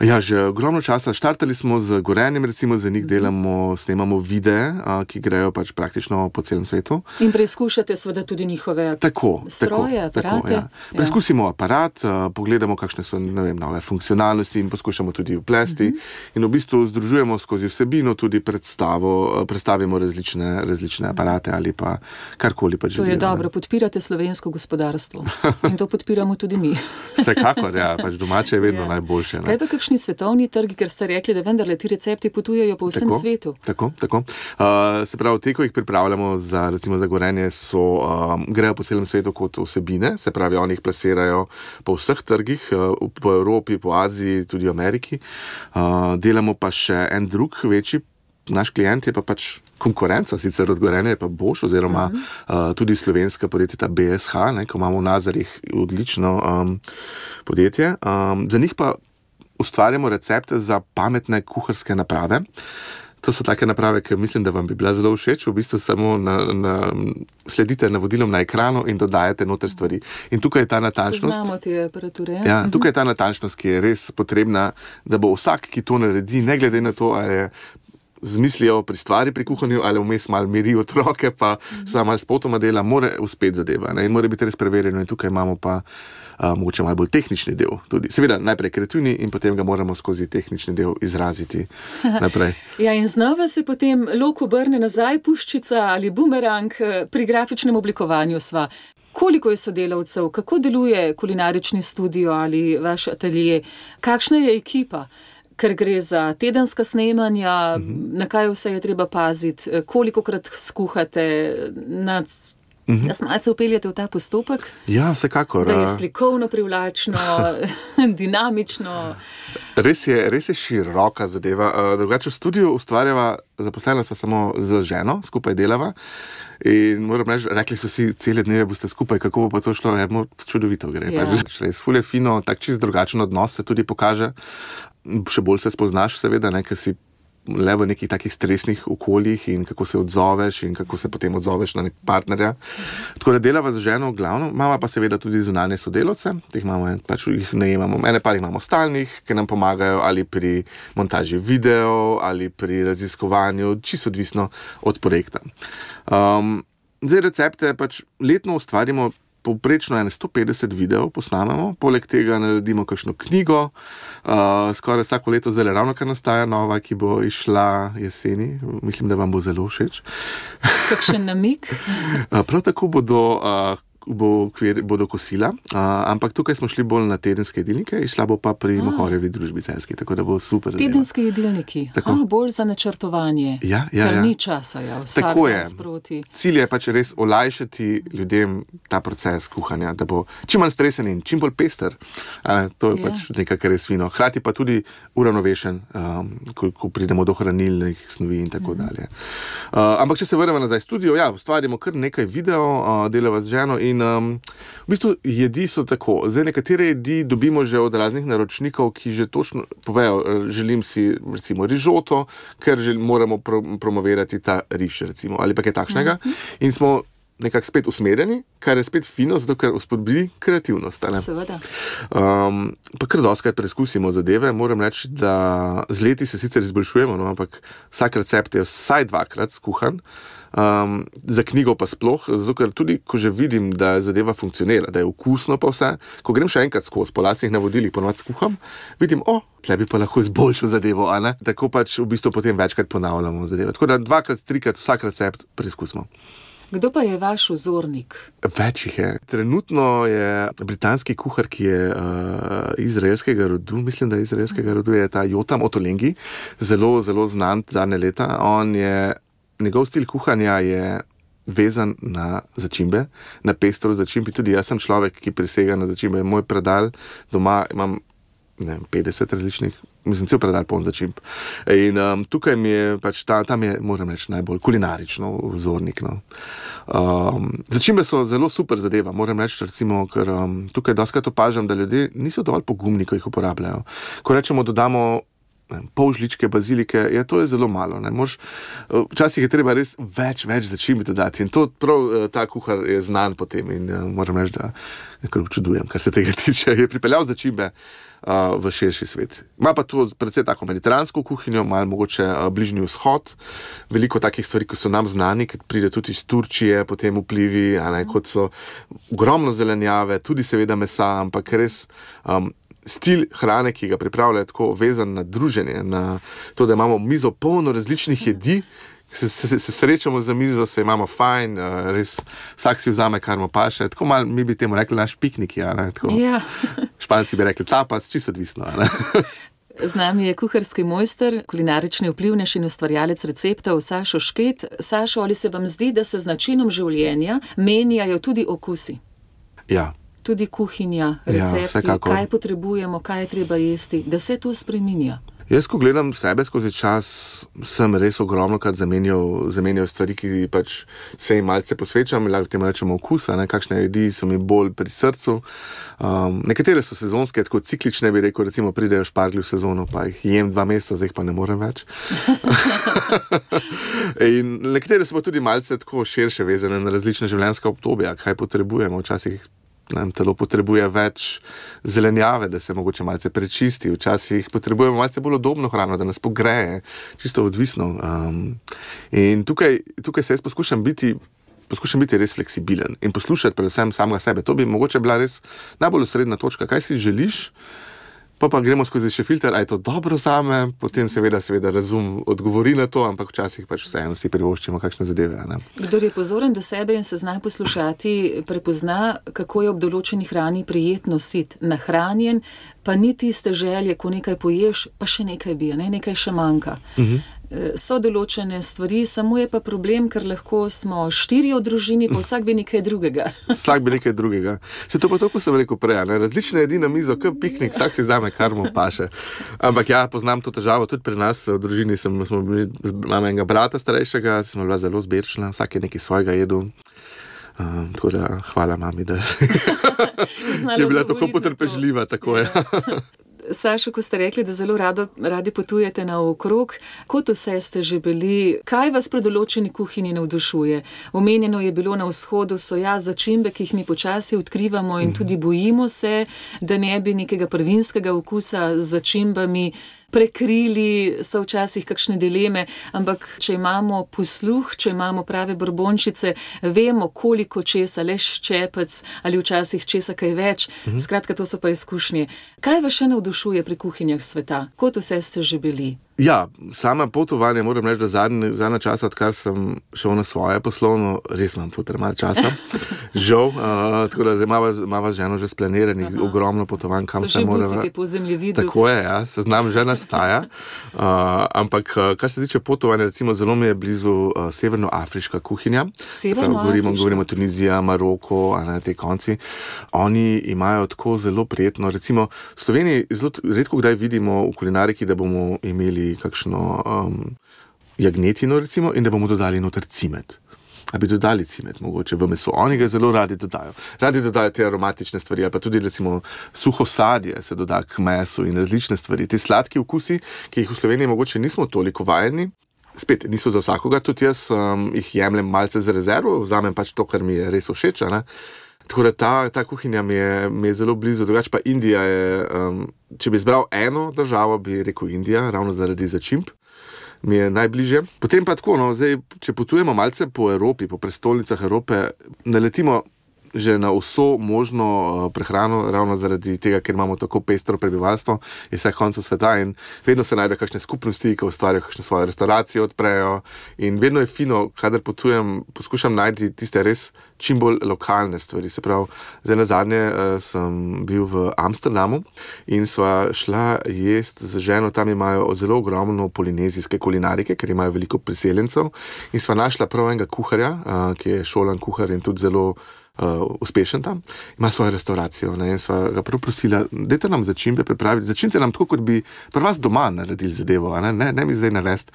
Speaker 4: Ja, že ogromno časa. Štartali smo z Gorenjem, recimo, za njih delamo, snemamo videe, ki grejo pač praktično po celem svetu.
Speaker 3: In preizkušate seveda tudi njihove
Speaker 4: tako,
Speaker 3: stroje,
Speaker 4: tako,
Speaker 3: aparate?
Speaker 4: Tako, ja. Preizkusimo aparat, pogledamo, kakšne so, ne vem, nove funkcionalnosti in poskušamo tudi vplesti. Uh-huh. In v bistvu združujemo skozi vsebino tudi predstavo, predstavimo različne, različne aparate ali pa karkoli pa želijo.
Speaker 3: To je dobro, podpirate slovensko gospodarstvo. In to podpiramo tudi mi.
Speaker 4: Vsekakor, ja, pač domače je vedno ja. najboljše. Ne?
Speaker 3: Kaj pa kakšni svetovni trgi, ker ste rekli, da vendarle ti recepti potujejo po vsem
Speaker 4: tako,
Speaker 3: svetu? Tako,
Speaker 4: tako. Uh, se pravi, te, ko jih pripravljamo za, recimo za Gorenje, so, um, grejo po celem svetu kot vsebine, se pravi, oni jih plasirajo po vseh trgih, uh, po Evropi, po Aziji, tudi v Ameriki. Uh, delamo pa še en drug večji, naš klient je pa pač konkurenca, sicer od Gorenja je pa Bosch, oziroma uh-huh. uh, tudi slovenska podjetja B S H, ne, ko imamo v Nazarjih odlično um, podjetje. Um, za njih pa ustvarjamo recepte za pametne kuharske naprave. To so take naprave, ki mislim, da vam bi bila zelo všeč. V bistvu samo na, na, sledite navodilom na ekranu in dodajate noter stvari. In tukaj je ta natančnost.
Speaker 3: Poznamo te aparature.
Speaker 4: Ja, tukaj je ta natančnost, ki je res potrebna, da bo vsak, ki to naredi, ne glede na to, ali je zmislijo pri stvari pri kuhanju, ali vmes malo miri otroke, pa mm-hmm. samo malo spotoma dela, mora uspeti zadeva. Ne? In mora biti res preverjeno. In tukaj imamo pa Uh, mogoče malo bolj tehnični del. Tudi. Seveda najprej kreativni in potem ga moramo skozi tehnični del izraziti naprej.
Speaker 3: Ja, in znova se potem lok obrne nazaj, puščica ali bumerang pri grafičnem oblikovanju sva. Koliko je sodelavcev, kako deluje kulinarični studio ali vaš atelje, kakšna je ekipa? Ker gre za tedenska snemanja, uh-huh. na kaj vse je treba paziti, kolikokrat skuhate nad
Speaker 4: Mhm.
Speaker 3: Da se malce upeljate v ta postopek?
Speaker 4: Ja, vsekakor.
Speaker 3: Da je slikovno privlačno, dinamično.
Speaker 4: Res je, res je široka zadeva. Drugače v studiu ustvarjava, zaposlena sva samo z ženo, skupaj delava. In moram reči, rekli so si, cele dneve boste skupaj, kako bo pa to šlo, je čudovito gre. Ja. Pač res ful je fino, tak čist drugačen odnos se tudi pokaže. Še bolj se spoznaš seveda, ne, ker si le v nekih takih stresnih okoljih in kako se odzoveš in kako se potem odzoveš na nek partnerja. Tako da delava z ženo glavno, imamo pa seveda tudi zunanje sodelavce, teh imamo, pač jih najemamo, ene par jih imamo stalnih, ki nam pomagajo ali pri montaži videov ali pri raziskovanju, čisto odvisno od projekta. Um, zdaj recepte pač letno ustvarimo povprečno ene sto petdeset videov posnamemo, poleg tega naredimo kakšno knjigo, uh, skoraj vsako leto, zdaj ravno kar nastaja nova, ki bo išla jeseni, mislim, da vam bo zelo všeč.
Speaker 3: Kakšen namig?
Speaker 4: Prav tako bodo uh, bo kvir, bodo kosila, uh, ampak tukaj smo šli bolj na tedenske jedilnike, išla bo pa pri Mohorjevi družbi celjski, tako da bo super.
Speaker 3: Tedenski jedilniki, ah, bolj za načrtovanje,
Speaker 4: ja, ja,
Speaker 3: ker
Speaker 4: ja.
Speaker 3: ni časa, ja, vsak
Speaker 4: tako
Speaker 3: dan
Speaker 4: je.
Speaker 3: sproti.
Speaker 4: Cilj je pač res olajšati ljudem ta proces kuhanja, da bo čim manj stresen in čim bolj pester. A, to je
Speaker 3: Ja.
Speaker 4: pač nekaj, kar je fino. Hkrati pa tudi uravnovešen, um, ko, ko pridemo do hranilnih snovi in tako dalje. Uh, ampak če se vrnemo nazaj v studio, ja, ustvarjamo kar nekaj video, uh, delava z ženo in um, v bistvu jedi so tako. Zdaj nekatere jedi dobimo že od raznih naročnikov, ki že točno povejo, želim si recimo rižoto, ker žel, moramo pro, promovirati ta riž recimo, ali pa kaj takšnega. Mm-hmm. In smo nekako spet usmerjeni, kar je spet fino, zato ker spodbudi kreativnost. Ne?
Speaker 3: Seveda.
Speaker 4: Um, pa kar dostakrat preizkusimo zadeve. Moram reči, da z leti se sicer izboljšujemo, no, ampak vsak recept je vsaj dvakrat skuhan. Um, za knjigo pa sploh, zato ker tudi, ko že vidim, da zadeva funkcionira, da je okusno pa vse, ko grem še enkrat skozi, po lastnih navodilih ponovadi skuham, vidim, o, tle bi pa lahko izboljšal zadevo, a ne? Tako pač v bistvu potem večkrat ponavljamo zadeve. Tako da dvakrat, trikrat vsak recept preizkusimo.
Speaker 3: Kdo pa je vaš vzornik?
Speaker 4: Več jih je. Trenutno je britanski kuhar, ki je uh, izraelskega rodu, mislim, da je izraelskega rodu, je ta Jotam Ottolenghi, zelo, zelo znan zadnje leta. On je, njegov stil kuhanja je vezan na začimbe, na pestro začimbi. Tudi jaz sem človek, ki prisega na začimbe. Moj predal doma imam ne vem, petdeset različnih, mislim, cel predal poln začimb. In um, tukaj mi je pač, ta, tam je, moram reči, najbolj kulinarično vzornik. No. Um, začimbe so zelo super zadeva, moram reči, recimo, ker um, tukaj doskrat opažam, da ljudje niso dovolj pogumni, ko jih uporabljajo. Ko rečemo, dodamo ne, pol žličke bazilike, ja, to je zelo malo. Ne. Mož, včasih je treba res več, več začimbi dodati in to prav ta kuhar je znan potem in uh, moram reči, da nekaj občudujem, kar se tega tiče. Je pripeljal začimbe Uh, v širši svet. Ima pa tu predvsej tako mediteransko kuhinjo, malo mogoče uh, bližnji vzhod, veliko takih stvari, ki so nam znani, ki pride tudi iz Turčije, potem vplivi, a ne, kot so ogromno zelenjave, tudi seveda mesa, ampak res um, stil hrane, ki ga pripravlja, je tako vezan na druženje, na to, da imamo mizo polno različnih jedi, Se, se, se srečamo za mizo, se imamo fajn, res vsak si vzame, kar mu paše. Tako malo mi bi temu rekli naš piknik, ja, ne, tako.
Speaker 3: Ja.
Speaker 4: Španci bi rekli tapas, čisto odvisno, ne.
Speaker 3: Z nami je kuharski mojster, kulinarični vplivnež in ustvarjalec receptov Sašo Šket. Sašo, ali se vam zdi, da se z načinom življenja menjajo tudi okusi?
Speaker 4: Ja.
Speaker 3: Tudi kuhinja, recepti,
Speaker 4: ja,
Speaker 3: kaj potrebujemo, kaj je treba jesti, da se to spreminja?
Speaker 4: Jaz, ko gledam sebe skozi čas, sem res ogromno krat zamenjal, zamenjal stvari, ki pač se jim malce posvečam, lahko temu rečemo okusa, ne, kakšne jedi so mi bolj pri srcu. Um, nekatere so sezonske, tako ciklične bi rekel, recimo pridejo šparglji v sezono, pa jih jem dva meseca, zdaj pa ne morem več. In nekatere so pa tudi malce tako širše vezane na različne življenjska obdobja, kaj potrebujemo, včasih nam telo potrebuje več zelenjave, da se mogoče malce prečisti, včasih potrebujemo malce bolj udobno hrano, da nas pogreje, čisto odvisno. Um, in tukaj, tukaj se jaz poskušam biti, poskušam biti res fleksibilen in poslušati predvsem samega sebe. To bi mogoče bila res najbolj osrednja točka, kaj si želiš, pa pa gremo skozi še filter, a je to dobro zame, potem seveda, seveda razum odgovori na to, ampak včasih pač vseeno si privoščimo kakšne zadeve. Ne?
Speaker 3: Kdor je pozoren do sebe in se zna poslušati, prepozna, kako je ob določeni hrani prijetno sit, nahranjen, pa ni tiste želje, ko nekaj poješ, pa še nekaj bi, ne? Nekaj še manjka. Uh-huh. So določene stvari, samo je pa problem, ker lahko smo štiri v družini, pa vsak bi nekaj drugega.
Speaker 4: Vsak bi nekaj drugega. Se to pa to, ko sem rekel prej, ne? Različne jedi na mizo, kot piknik, vsak si vzame, kar mu paše. Ampak ja, poznam to težavo, tudi pri nas v družini sem, smo bili, imam enega brata starejšega, smo bila zelo zbirčna, vsak je nekaj svojega jedu. Um, tako da hvala mami, da je bila tako potrpežljiva, tako je.
Speaker 3: Sašo, ko ste rekli, da zelo rado, radi potujete naokrog, kot vse ste že bili, kaj vas pri določeni kuhinji navdušuje? Omenjeno je bilo na vzhodu, so ja začimbe, ki jih mi počasi odkrivamo in tudi bojimo se, da ne bi nekega prvinskega okusa z začimbami prekrili, so včasih kakšne dileme, ampak če imamo posluh, če imamo prave brbončice, vemo, koliko česa, le ščepec ali včasih česa kaj več. Mhm. Skratka, to so pa izkušnje. Kaj vas še navdušuje pri kuhinjah sveta? Kot vse ste že bili?
Speaker 4: Ja, sama potovanje, moram reči, da zadnje, zadnje časa, odkar sem šel na svoje poslovno, res imam ful premalo časa, žal, uh, tako da zdaj imava ženo že splaniranih, ogromno potovanj, kam se mora.
Speaker 3: So še bucike po zemljevidu.
Speaker 4: Tako je, ja, seznam že nastaja, uh, ampak kar se tiče potovanja, recimo zelo mi je blizu uh, severnoafriška kuhinja.
Speaker 3: Severnoafriška?
Speaker 4: Govorimo, govorimo Tunizija, Maroko, a ne, te konci. Oni imajo tako zelo prijetno, recimo v Sloveniji zelo redko kdaj vidimo v kulinariki, da bomo imeli kakšno um, jagnetino recimo in da bomo dodali noter cimet. A bi dodali cimet mogoče v meso. Oni ga zelo radi dodajo. Radi dodajo te aromatične stvari, pa tudi recimo suho sadje se doda k mesu in različne stvari. Te sladki okusi, ki jih v Sloveniji mogoče nismo toliko vajeni, spet niso za vsakoga, tudi jaz um, jih jemljem malce za rezervo, vzamem pač to, kar mi je res všeč, ne? Tako da ta, ta kuhinja mi je, mi je zelo blizu, drugače pa Indija je, um, če bi izbral eno državo, bi rekel Indija, ravno zaradi začimb, mi je najbližje. Potem pa tako, no, zdaj, če potujemo malce po Evropi, po prestolnicah Evrope, naletimo že na vso možno prehrano, ravno zaradi tega, ker imamo tako pestro prebivalstvo in vseh koncev sveta in vedno se najde kakšne skupnosti, ki ustvarjajo kakšne svoje restauracije, odprejo in vedno je fino, kadar potujem, poskušam najti tiste res čim bolj lokalne stvari. Se pravi, zdaj nazadnje uh, sem bil v Amsterdamu in sva šla jest z ženo, tam imajo zelo ogromno polinezijske kulinarike, ker imajo veliko priseljencev in sva našla prav enega kuharja, uh, ki je šolan kuhar in tudi zelo Uh, uspešen tam, ima svojo restauracijo, ne, in sva ga prav prosila, dajte nam začimbe pripraviti, začnite nam tako, kot bi pri vas doma naredili zadevo, ne, ne, ne mi zdaj narediti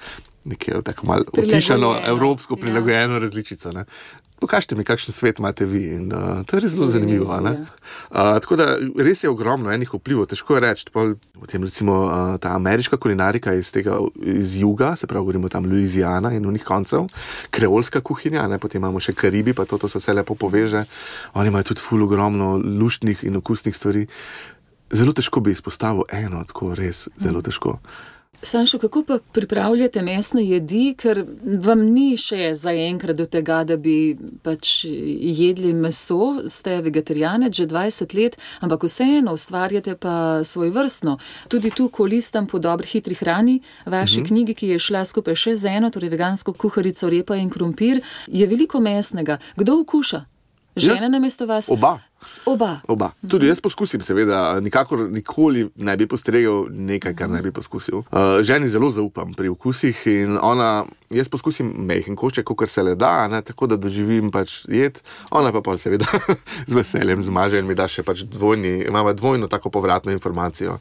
Speaker 4: nekaj tako malo utišano, evropsko prilagojeno ja. različico, ne. Pokažite mi, kakšen svet imate vi in uh, to je res zelo zanimivo, ne. Uh, tako da res je ogromno enih vplivov, težko je reči, potem recimo uh, ta ameriška kulinarika iz tega, iz juga, se pravi, govorimo tam Louisiana in unih koncev, kreolska kuhinja, ne, potem imamo še Karibi, pa to, to se vse lepo poveže, oni imajo tudi ful ogromno luštnih in okusnih stvari. Zelo težko bi izpostavil eno, tako res, zelo težko.
Speaker 3: Sanšo, kako pa pripravljate mesne jedi, ker vam ni še zaenkrat do tega, da bi pač jedli meso, ste vegetarijanec že dvajset let, ampak vseeno ustvarjate pa svoj vrstno. Tudi tu, ko listam po dobri hitri hrani, vaši uh-huh. knjigi, ki je šla skupaj še z eno, torej vegansko kuharico, repa in krompir, je veliko mesnega. Kdo okuša? Žena namesto vas?
Speaker 4: Oba.
Speaker 3: Oba.
Speaker 4: Oba. Tudi jaz poskusim, seveda, nikakor nikoli ne bi postregel nekaj, kar ne bi poskusil. Uh, ženi zelo zaupam pri okusih in ona, jaz poskusim mehen košček, kakor se le da, ne, tako da doživim pač jed, ona pa pol seveda z veseljem zmaže in mi da še pač dvojni, imamo dvojno tako povratno informacijo.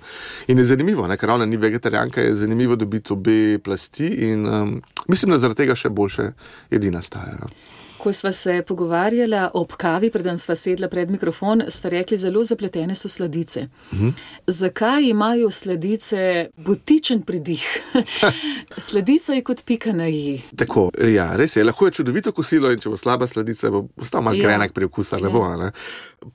Speaker 4: In je zanimivo, ne, ker ona ni vegetarijanka, je zanimivo dobiti obe plasti in um, mislim, da zaradi tega še boljše jedi nastajajo.
Speaker 3: Ko sva se pogovarjala ob kavi, preden sva sedla pred mikrofon, ste rekli, zelo zapletene so sladice. Mhm. Zakaj imajo sladice butičen pridih? Sladica je kot pika na i.
Speaker 4: Tako, ja, res je. Lahko je čudovito kosilo in če bo slaba sladica, bo ostal malo ja. grenak pri okusa, ne ja. bo, ne?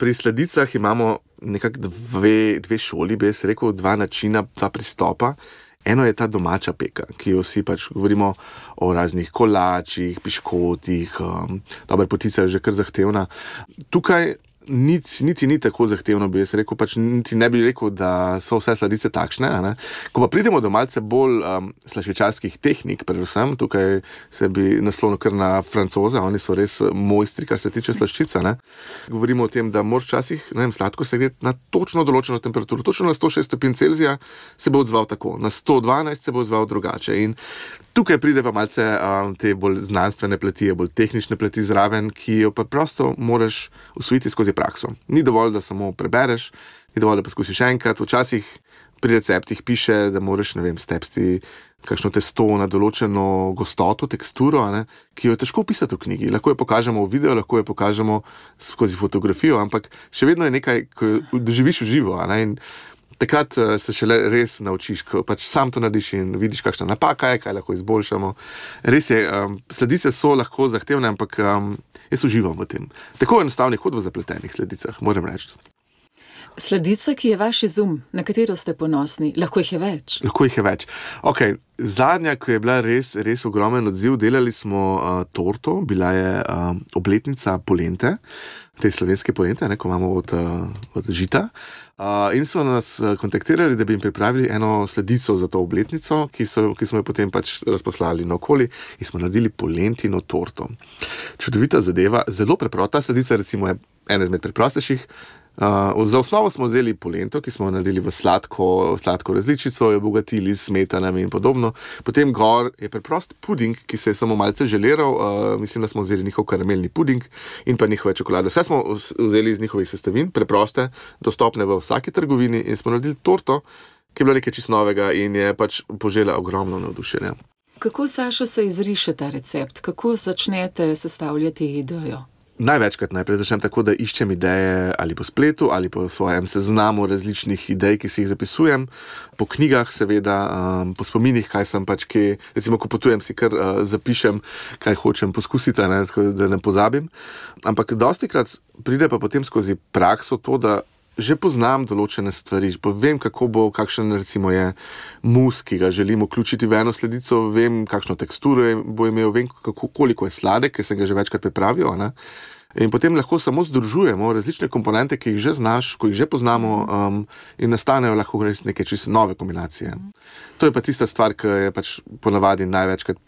Speaker 4: Pri sladicah imamo nekako dve, dve šoli, bi jaz rekel, dva načina, dva pristopa. Eno je ta domača peka, ki jo vsi pač govorimo o raznih kolačih, piškotih, um, dobra potica je že kar zahtevna. Tukaj Niti, niti ni tako zahtevno, bi jaz rekel, pač niti ne bi rekel, da so vse sladice takšne. Ne? Ko pa pridemo do malce bolj um, slaščičarskih tehnik, predvsem, tukaj se bi naslonil kar na Francoze, oni so res mojstri, kar se tiče slaščica. Ne? Govorimo o tem, da moraš včasih, ne vem, sladko se gre na točno določeno temperaturo, točno na sto šest stopinj Celzija se bo odzval tako, na sto dvanajst se bo odzval drugače. In tukaj pride pa malce um, te bolj znanstvene plati, bolj tehnične plati zraven, ki jo pa prosto moraš usvojiti skozi prakso. Ni dovolj, da samo prebereš, ni dovolj, da poskusiš enkrat. Včasih pri receptih piše, da moraš, ne vem, stepsti kakšno testo na določeno gostoto, teksturo, ne, ki jo je težko opisati v knjigi. Lahko jo pokažemo v videu, lahko jo pokažemo skozi fotografijo, ampak še vedno je nekaj, ko jo doživiš v živo. Ne, in takrat se šele res naučiš, ko pač sam to narediš in vidiš, kakšna napaka je, kaj lahko izboljšamo. Res je, um, sladice so lahko zahtevne, ampak um, jaz uživam v tem. Tako enostavno kot v zapletenih sladicah, moram reči.
Speaker 3: Sladica, ki je vaš izum, na katero ste ponosni, lahko jih je več.
Speaker 4: Lahko jih je več. Okay, zadnja, ko je bila res, res ogromen odziv, delali smo uh, torto, bila je uh, obletnica polente, te slovenske polente, ne, ko imamo od, uh, od žita. Uh, in so nas uh, kontaktirali, da bi jim pripravili eno sladico za to obletnico, ki, so, ki smo jo potem pač razposlali naokoli in smo naredili polentino torto. Čudovita zadeva, zelo preprosta sladica, recimo je ena izmed preprostejših. Uh, za osnovo smo vzeli polento, ki smo jo naredili v sladko, sladko različico, jo obogatili s smetanami in podobno. Potem gor je preprost puding, ki se je samo malce želeral, uh, mislim, da smo vzeli njihov karamelni puding in pa njihove čokolade. Vse smo vzeli iz njihovih sestavin, preproste, dostopne v vsaki trgovini in smo naredili torto, ki je bila nekaj čisto novega in je pač požela ogromno navdušenja.
Speaker 3: Kako, Sašo, se izriše ta recept? Kako začnete sestavljati idejo?
Speaker 4: Največkrat najprej začnem tako, da iščem ideje ali po spletu ali po svojem seznamu različnih idej, ki si jih zapisujem, po knjigah seveda, um, po spominih, kaj sem pač kje, recimo, ko potujem, si kar uh, zapišem, kaj hočem poskusiti, ne, da ne pozabim. Ampak dostikrat pride pa potem skozi prakso to, da že poznam določene stvari, vem, kako bo, kakšen recimo je mus, ki ga želim vključiti v eno sladico, vem, kakšno teksturo bo imel, vem, kako, koliko je sladek, ker sem ga že večkrat pripravil, ne? In potem lahko samo združujemo različne komponente, ki jih že znaš, ko jih že poznamo, um, in nastanejo lahko res neke čisto nove kombinacije. To je pa tista stvar, ki je pač ponavadi največkrat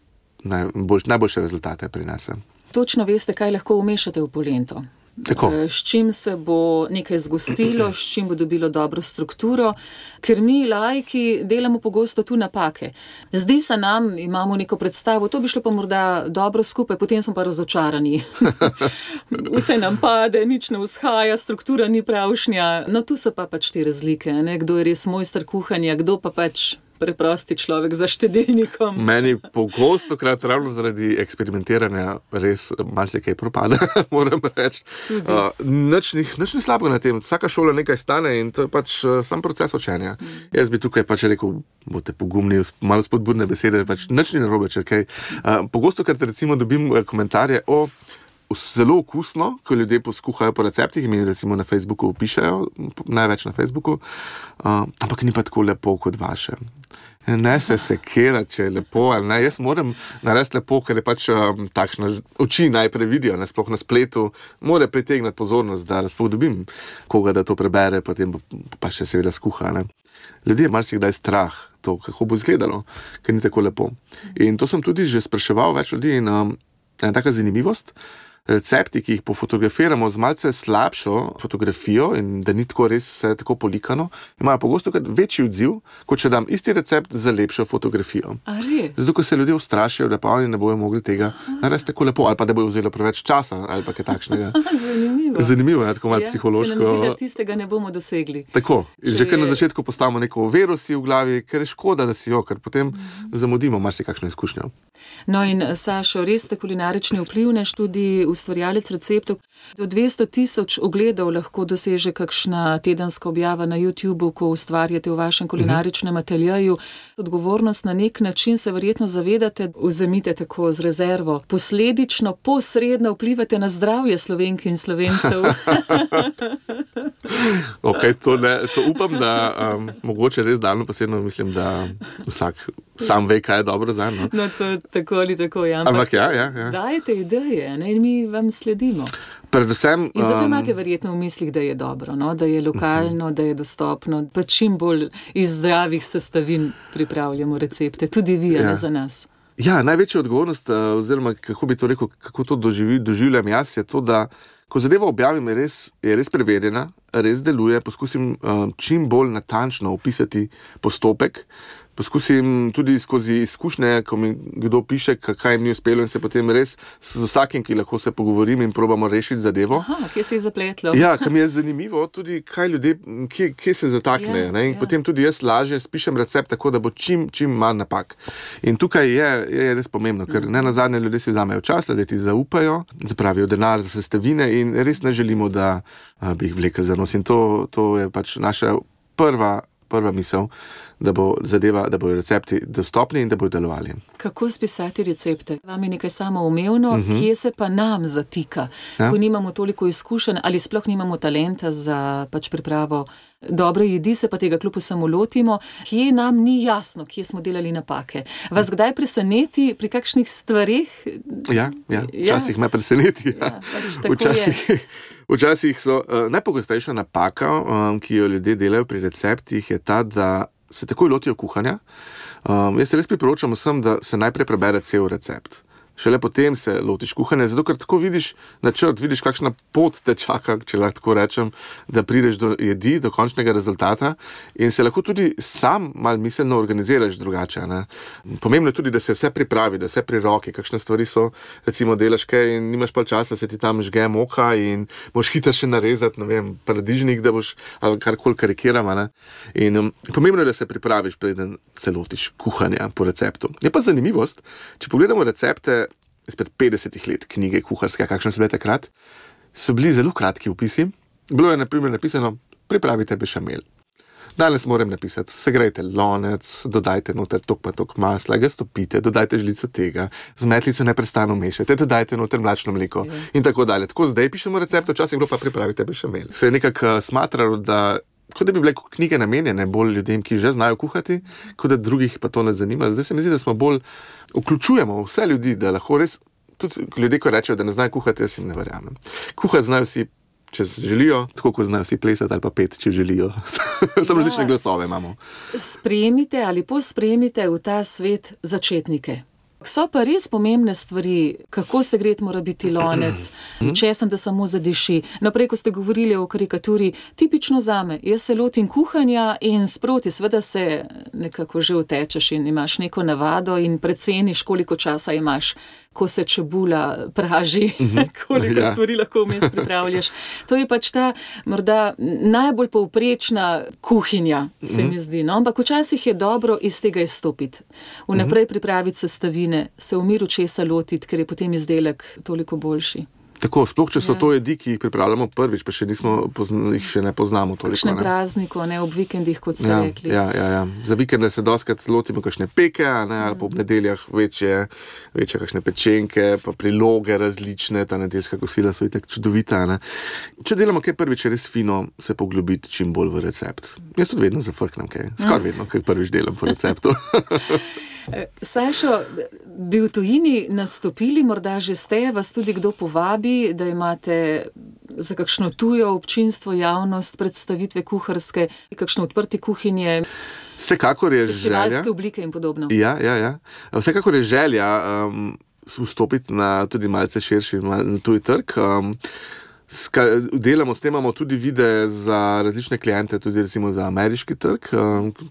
Speaker 4: najboljš, najboljše rezultate prinese.
Speaker 3: Točno veste, kaj lahko umešate v polento.
Speaker 4: Tako.
Speaker 3: S čim se bo nekaj zgostilo, s čim bo dobilo dobro strukturo, ker mi laiki delamo pogosto tu napake. Zdi se nam, imamo neko predstavo, to bi šlo pa morda dobro skupaj, potem smo pa razočarani. Vse nam pade, nič ne vzhaja, struktura ni pravšnja. No, tu so pa pač te razlike, ne? Kdo je res mojster kuhanja, kdo pa pač preprosti človek za štedilnikom.
Speaker 4: Meni pogosto krat ravno zaradi eksperimentiranja res marsikaj propada, moram reči. Uh, nič ni slabega na tem, vsaka šola nekaj stane in to je pač uh, sam proces učenja. Mm. Jaz bi tukaj pač rekel, boste pogumni, malo spodbudne besede, pač nič ni narobe, če kaj. Uh, pogosto krat recimo dobim komentarje o zelo okusno, ko ljudje poskuhajo po receptih in mi recimo na Facebooku pišejo, največ na Facebooku, uh, ampak ni pa tako lepo kot vaše. Ne se sekirati, če je lepo ali ne. Jaz moram narediti lepo, ker je pač um, takšna oči najprej vidijo, ne, sploh na spletu, mora pritegnati pozornost, da sploh dobim koga, da to prebere, potem pa še seveda skuha. Ne. Ljudje marsikdaj strah to, kako bo izgledalo, ker ni tako lepo. In to sem tudi že spraševal več ljudi in um, ena taka zanimivost, recepti, ki jih pofotografiramo z malce slabšo fotografijo in da ni tako res vse tako polikano, imajo pogosto večji odziv, kot če dam isti recept za lepšo fotografijo.
Speaker 3: A res?
Speaker 4: Zato, ko se ljudje ustrašijo, da pa oni ne bojo mogli tega narediti tako lepo, ali pa da bojo vzelo preveč časa, ali pa kaj takšnega.
Speaker 3: Zanimivo.
Speaker 4: Zanimivo je, tako malo
Speaker 3: ja,
Speaker 4: psihološko.
Speaker 3: Se nam zdi, da tistega ne bomo dosegli.
Speaker 4: Tako.
Speaker 3: Če
Speaker 4: že kar
Speaker 3: je...
Speaker 4: na začetku postavimo neko vero si v glavi, ker je škoda, da si jo, ker potem mm. zamudimo marsikakšno izkušnjo.
Speaker 3: No in Sašo, res ste kulinarični vplivnež, tudi ustvarjalec receptov. Do dvesto tisoč ogledov lahko doseže kakšna tedenska objava na YouTubu, ko ustvarjate v vašem kulinaričnem ateljeju. Odgovornost na nek način se verjetno zavedate, vzemite tako z rezervo. Posledično, posredno vplivate na zdravje Slovenk in Slovencev.
Speaker 4: Ok, to, ne, to upam, da um, mogoče res daljno posebno mislim, da vsak sam ve, kaj je dobro za eno.
Speaker 3: No, to tako ali tako, ja. Ampak,
Speaker 4: Ampak ja, ja, ja.
Speaker 3: Dajte ideje, ne, in mi vam sledimo.
Speaker 4: Predvsem,
Speaker 3: in zato
Speaker 4: um,
Speaker 3: imate verjetno v mislih, da je dobro, no? Da je lokalno, uh-huh. da je dostopno, pa čim bolj iz zdravih sestavin pripravljamo recepte, tudi vi, ja. Ne za nas.
Speaker 4: Ja, največja odgovornost, oziroma kako bi to rekel, kako to doživi, doživljam jaz, je to, da ko zadevo objavim, je res, je res preverjena, res deluje, poskusim um, čim bolj natančno opisati postopek, poskusim tudi skozi izkušnje, ko mi kdo piše, kaj mi je uspelo in se potem res z vsakim, ki lahko se pogovorim in probamo rešiti zadevo.
Speaker 3: Aha, kje se je zapletlo?
Speaker 4: Ja, kam je zanimivo tudi, kaj ljudje, kje, kje se zataknejo. Ja, in ja. Potem tudi jaz lažje spišem recept tako, da bo čim, čim manj napak. In tukaj je, je res pomembno, ker ne nazadnje ljudje si vzamejo čas, ljudje ti zaupajo, zapravijo denar za sestavine in res ne želimo, da a, bi jih vlekli za nos. In to, to je pač naša prva prva misel, da bo zadeva, da bojo recepti dostopni in da bojo delovali.
Speaker 3: Kako spisati recepte? Vam je nekaj samoumevno, uh-huh. kje se pa nam zatika, ja? Ko nimamo toliko izkušenj ali sploh nimamo talenta za pač pripravo dobre jedi, se pa tega kljub vsemu lotimo, kje nam ni jasno, kje smo delali napake. Vas kdaj preseneti pri kakšnih stvarih?
Speaker 4: Ja, ja, včasih ja. me preseneti. Ja. Ja, pač včasih, včasih so uh, najpogostejša napaka, um, ki jo ljudje delajo pri receptih, je ta, da se takoj lotijo kuhanja. Um, jaz se res priporočam vsem, da se najprej prebere cel recept. Šele potem se lotiš kuhanja, zato ker tako vidiš načrt, vidiš, kakšna pot te čaka, če lahko tako rečem, da prideš do jedi, do končnega rezultata in se lahko tudi sam malo miselno organiziraš drugače. Ne? Pomembno je tudi, da se vse pripravi, da vse pri roki, kakšne stvari so, recimo delaš kaj in nimaš pa časa, se ti tam žge moka in moš hitro še narezati, ne vem, paradižnik, da boš ali karkoli karikirama. Ne? In um, pomembno je, da se pripraviš, preden se lotiš kuhanja po receptu. Je pa zanimivost, če pogledamo recepte izpred petdesetih let, knjige kuharske, kakšne so bile takrat, so bili zelo kratki opisi. Bilo je na primer napisano, pripravite bešamel. Danes moram napisati, segrejte lonec, dodajte noter tok pa tok masla, ga stopite, dodajte žlico tega, z metlico neprestano mešajte, dodajte noter mlačno mleko mm. in tako dalje. Tako zdaj pišemo recept, včasih bilo pa pripravite bešamel. Se je nekako smatralo, da kot da bi bile knjige namenjene bolj ljudem, ki že znajo kuhati, kot da drugih pa to ne zanima. Zdaj se mi zdi, da smo bolj vključujemo vse ljudi, da lahko res, tudi ljudje, ko rečejo, da ne znajo kuhati, jaz jim ne verjamem. Kuhati znajo vsi, če želijo, tako kot znajo vsi plesati ali pa pet, če želijo. Samo različne glasove imamo. Sprejmite
Speaker 3: ali posprejmite v ta svet začetnike. So pa res pomembne stvari, kako segret mora biti lonec, česen, da samo zadiši. Naprej, ko ste govorili o karikaturi, tipično zame, jaz se lotim kuhanja in sproti, seveda se nekako že utečeš in imaš neko navado in preceniš, koliko časa imaš, ko se čebula praži, koliko ja. stvari lahko vmes pripravljaš. To je pač ta morda najbolj povprečna kuhinja, se mi zdi. No? Ampak včasih je dobro iz tega izstopiti. Vnaprej pripraviti sestavine, se v miru česa lotiti, ker je potem izdelek toliko boljši.
Speaker 4: Tako, sploh, če so ja. to jedi, ki jih pripravljamo prvič, pa še nismo, jih še ne poznamo toliko.
Speaker 3: Kakšne prazniko, ne, ob vikendih, kot ste
Speaker 4: ja,
Speaker 3: rekli.
Speaker 4: Ja, ja, ja. Za vikende se doskrat lotimo kakšne peke, ne, ali pa ob nedeljah večje, večje kakšne pečenke, pa priloge različne, ta nedeljska kosila so itak čudovita. Ne. Če delamo kaj prvič, res fino se poglobiti čim bolj v recept. Jaz tudi vedno zafrknem kaj, skor vedno, kaj prvič delam po receptu.
Speaker 3: Sašo, bi v tujini nastopili, morda že ste, vas tudi kdo povabi, da imate za kakšno tujo občinstvo, javnost, predstavitve kuharske, kakšno odprti kuhinje,
Speaker 4: vsekakor je
Speaker 3: festivalske
Speaker 4: želja,
Speaker 3: oblike in podobno.
Speaker 4: Ja, ja, ja. Vsekakor je želja um, vstopiti na tudi malce širši na tuj trg. Um, Delamo, snemamo tudi videe za različne kliente, tudi recimo za ameriški trg,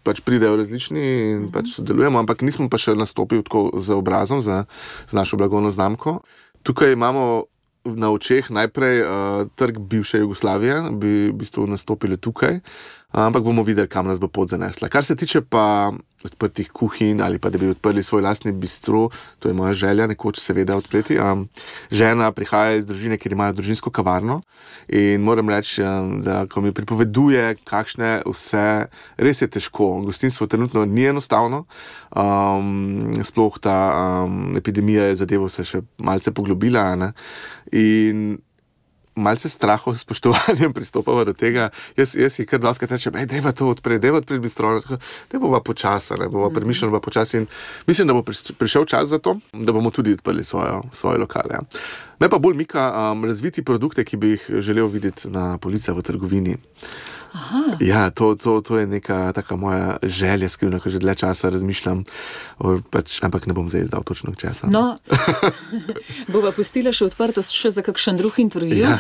Speaker 4: pač pridejo različni in pač sodelujemo, ampak nismo pa še nastopili tako z obrazom, za, z našo blagovno znamko. Tukaj imamo na očeh najprej uh, trg bivše Jugoslavije, bi v bistvu nastopili tukaj, ampak bomo videli, kam nas bo pot zanesla. Kar se tiče pa odprtih kuhinj ali pa da bi odprli svoj lastni bistro, to je moja želja nekoč seveda odpreti. Um, žena prihaja iz družine, kjer imajo družinsko kavarno in moram reči, um, da ko mi pripoveduje, kakšne vse, res je težko. Gostinstvo trenutno ni enostavno, um, sploh ta um, epidemija je zadevo se še malce poglobila, ne? In malce strahov, spoštovanjem pristopava do tega. Jaz, jaz si kar doskrat rečem, ej, dejva to odpred, dejva odpred bistro, da bova počasa, ne, bova premišljena, bova počasi in mislim, da bo prišel čas za to, da bomo tudi odprli svojo, svoje lokale. Ja. Me pa bolj mika um, razviti produkte, ki bi jih želel videti na policah v trgovini.
Speaker 3: Aha.
Speaker 4: Ja, to, to, to je neka taka moja želja skrivna, ko že dlje časa razmišljam, pač, ampak ne bom zdaj izdal točno časa.
Speaker 3: No, bova pustila še odprtost še za kakšen drug intervju, ja.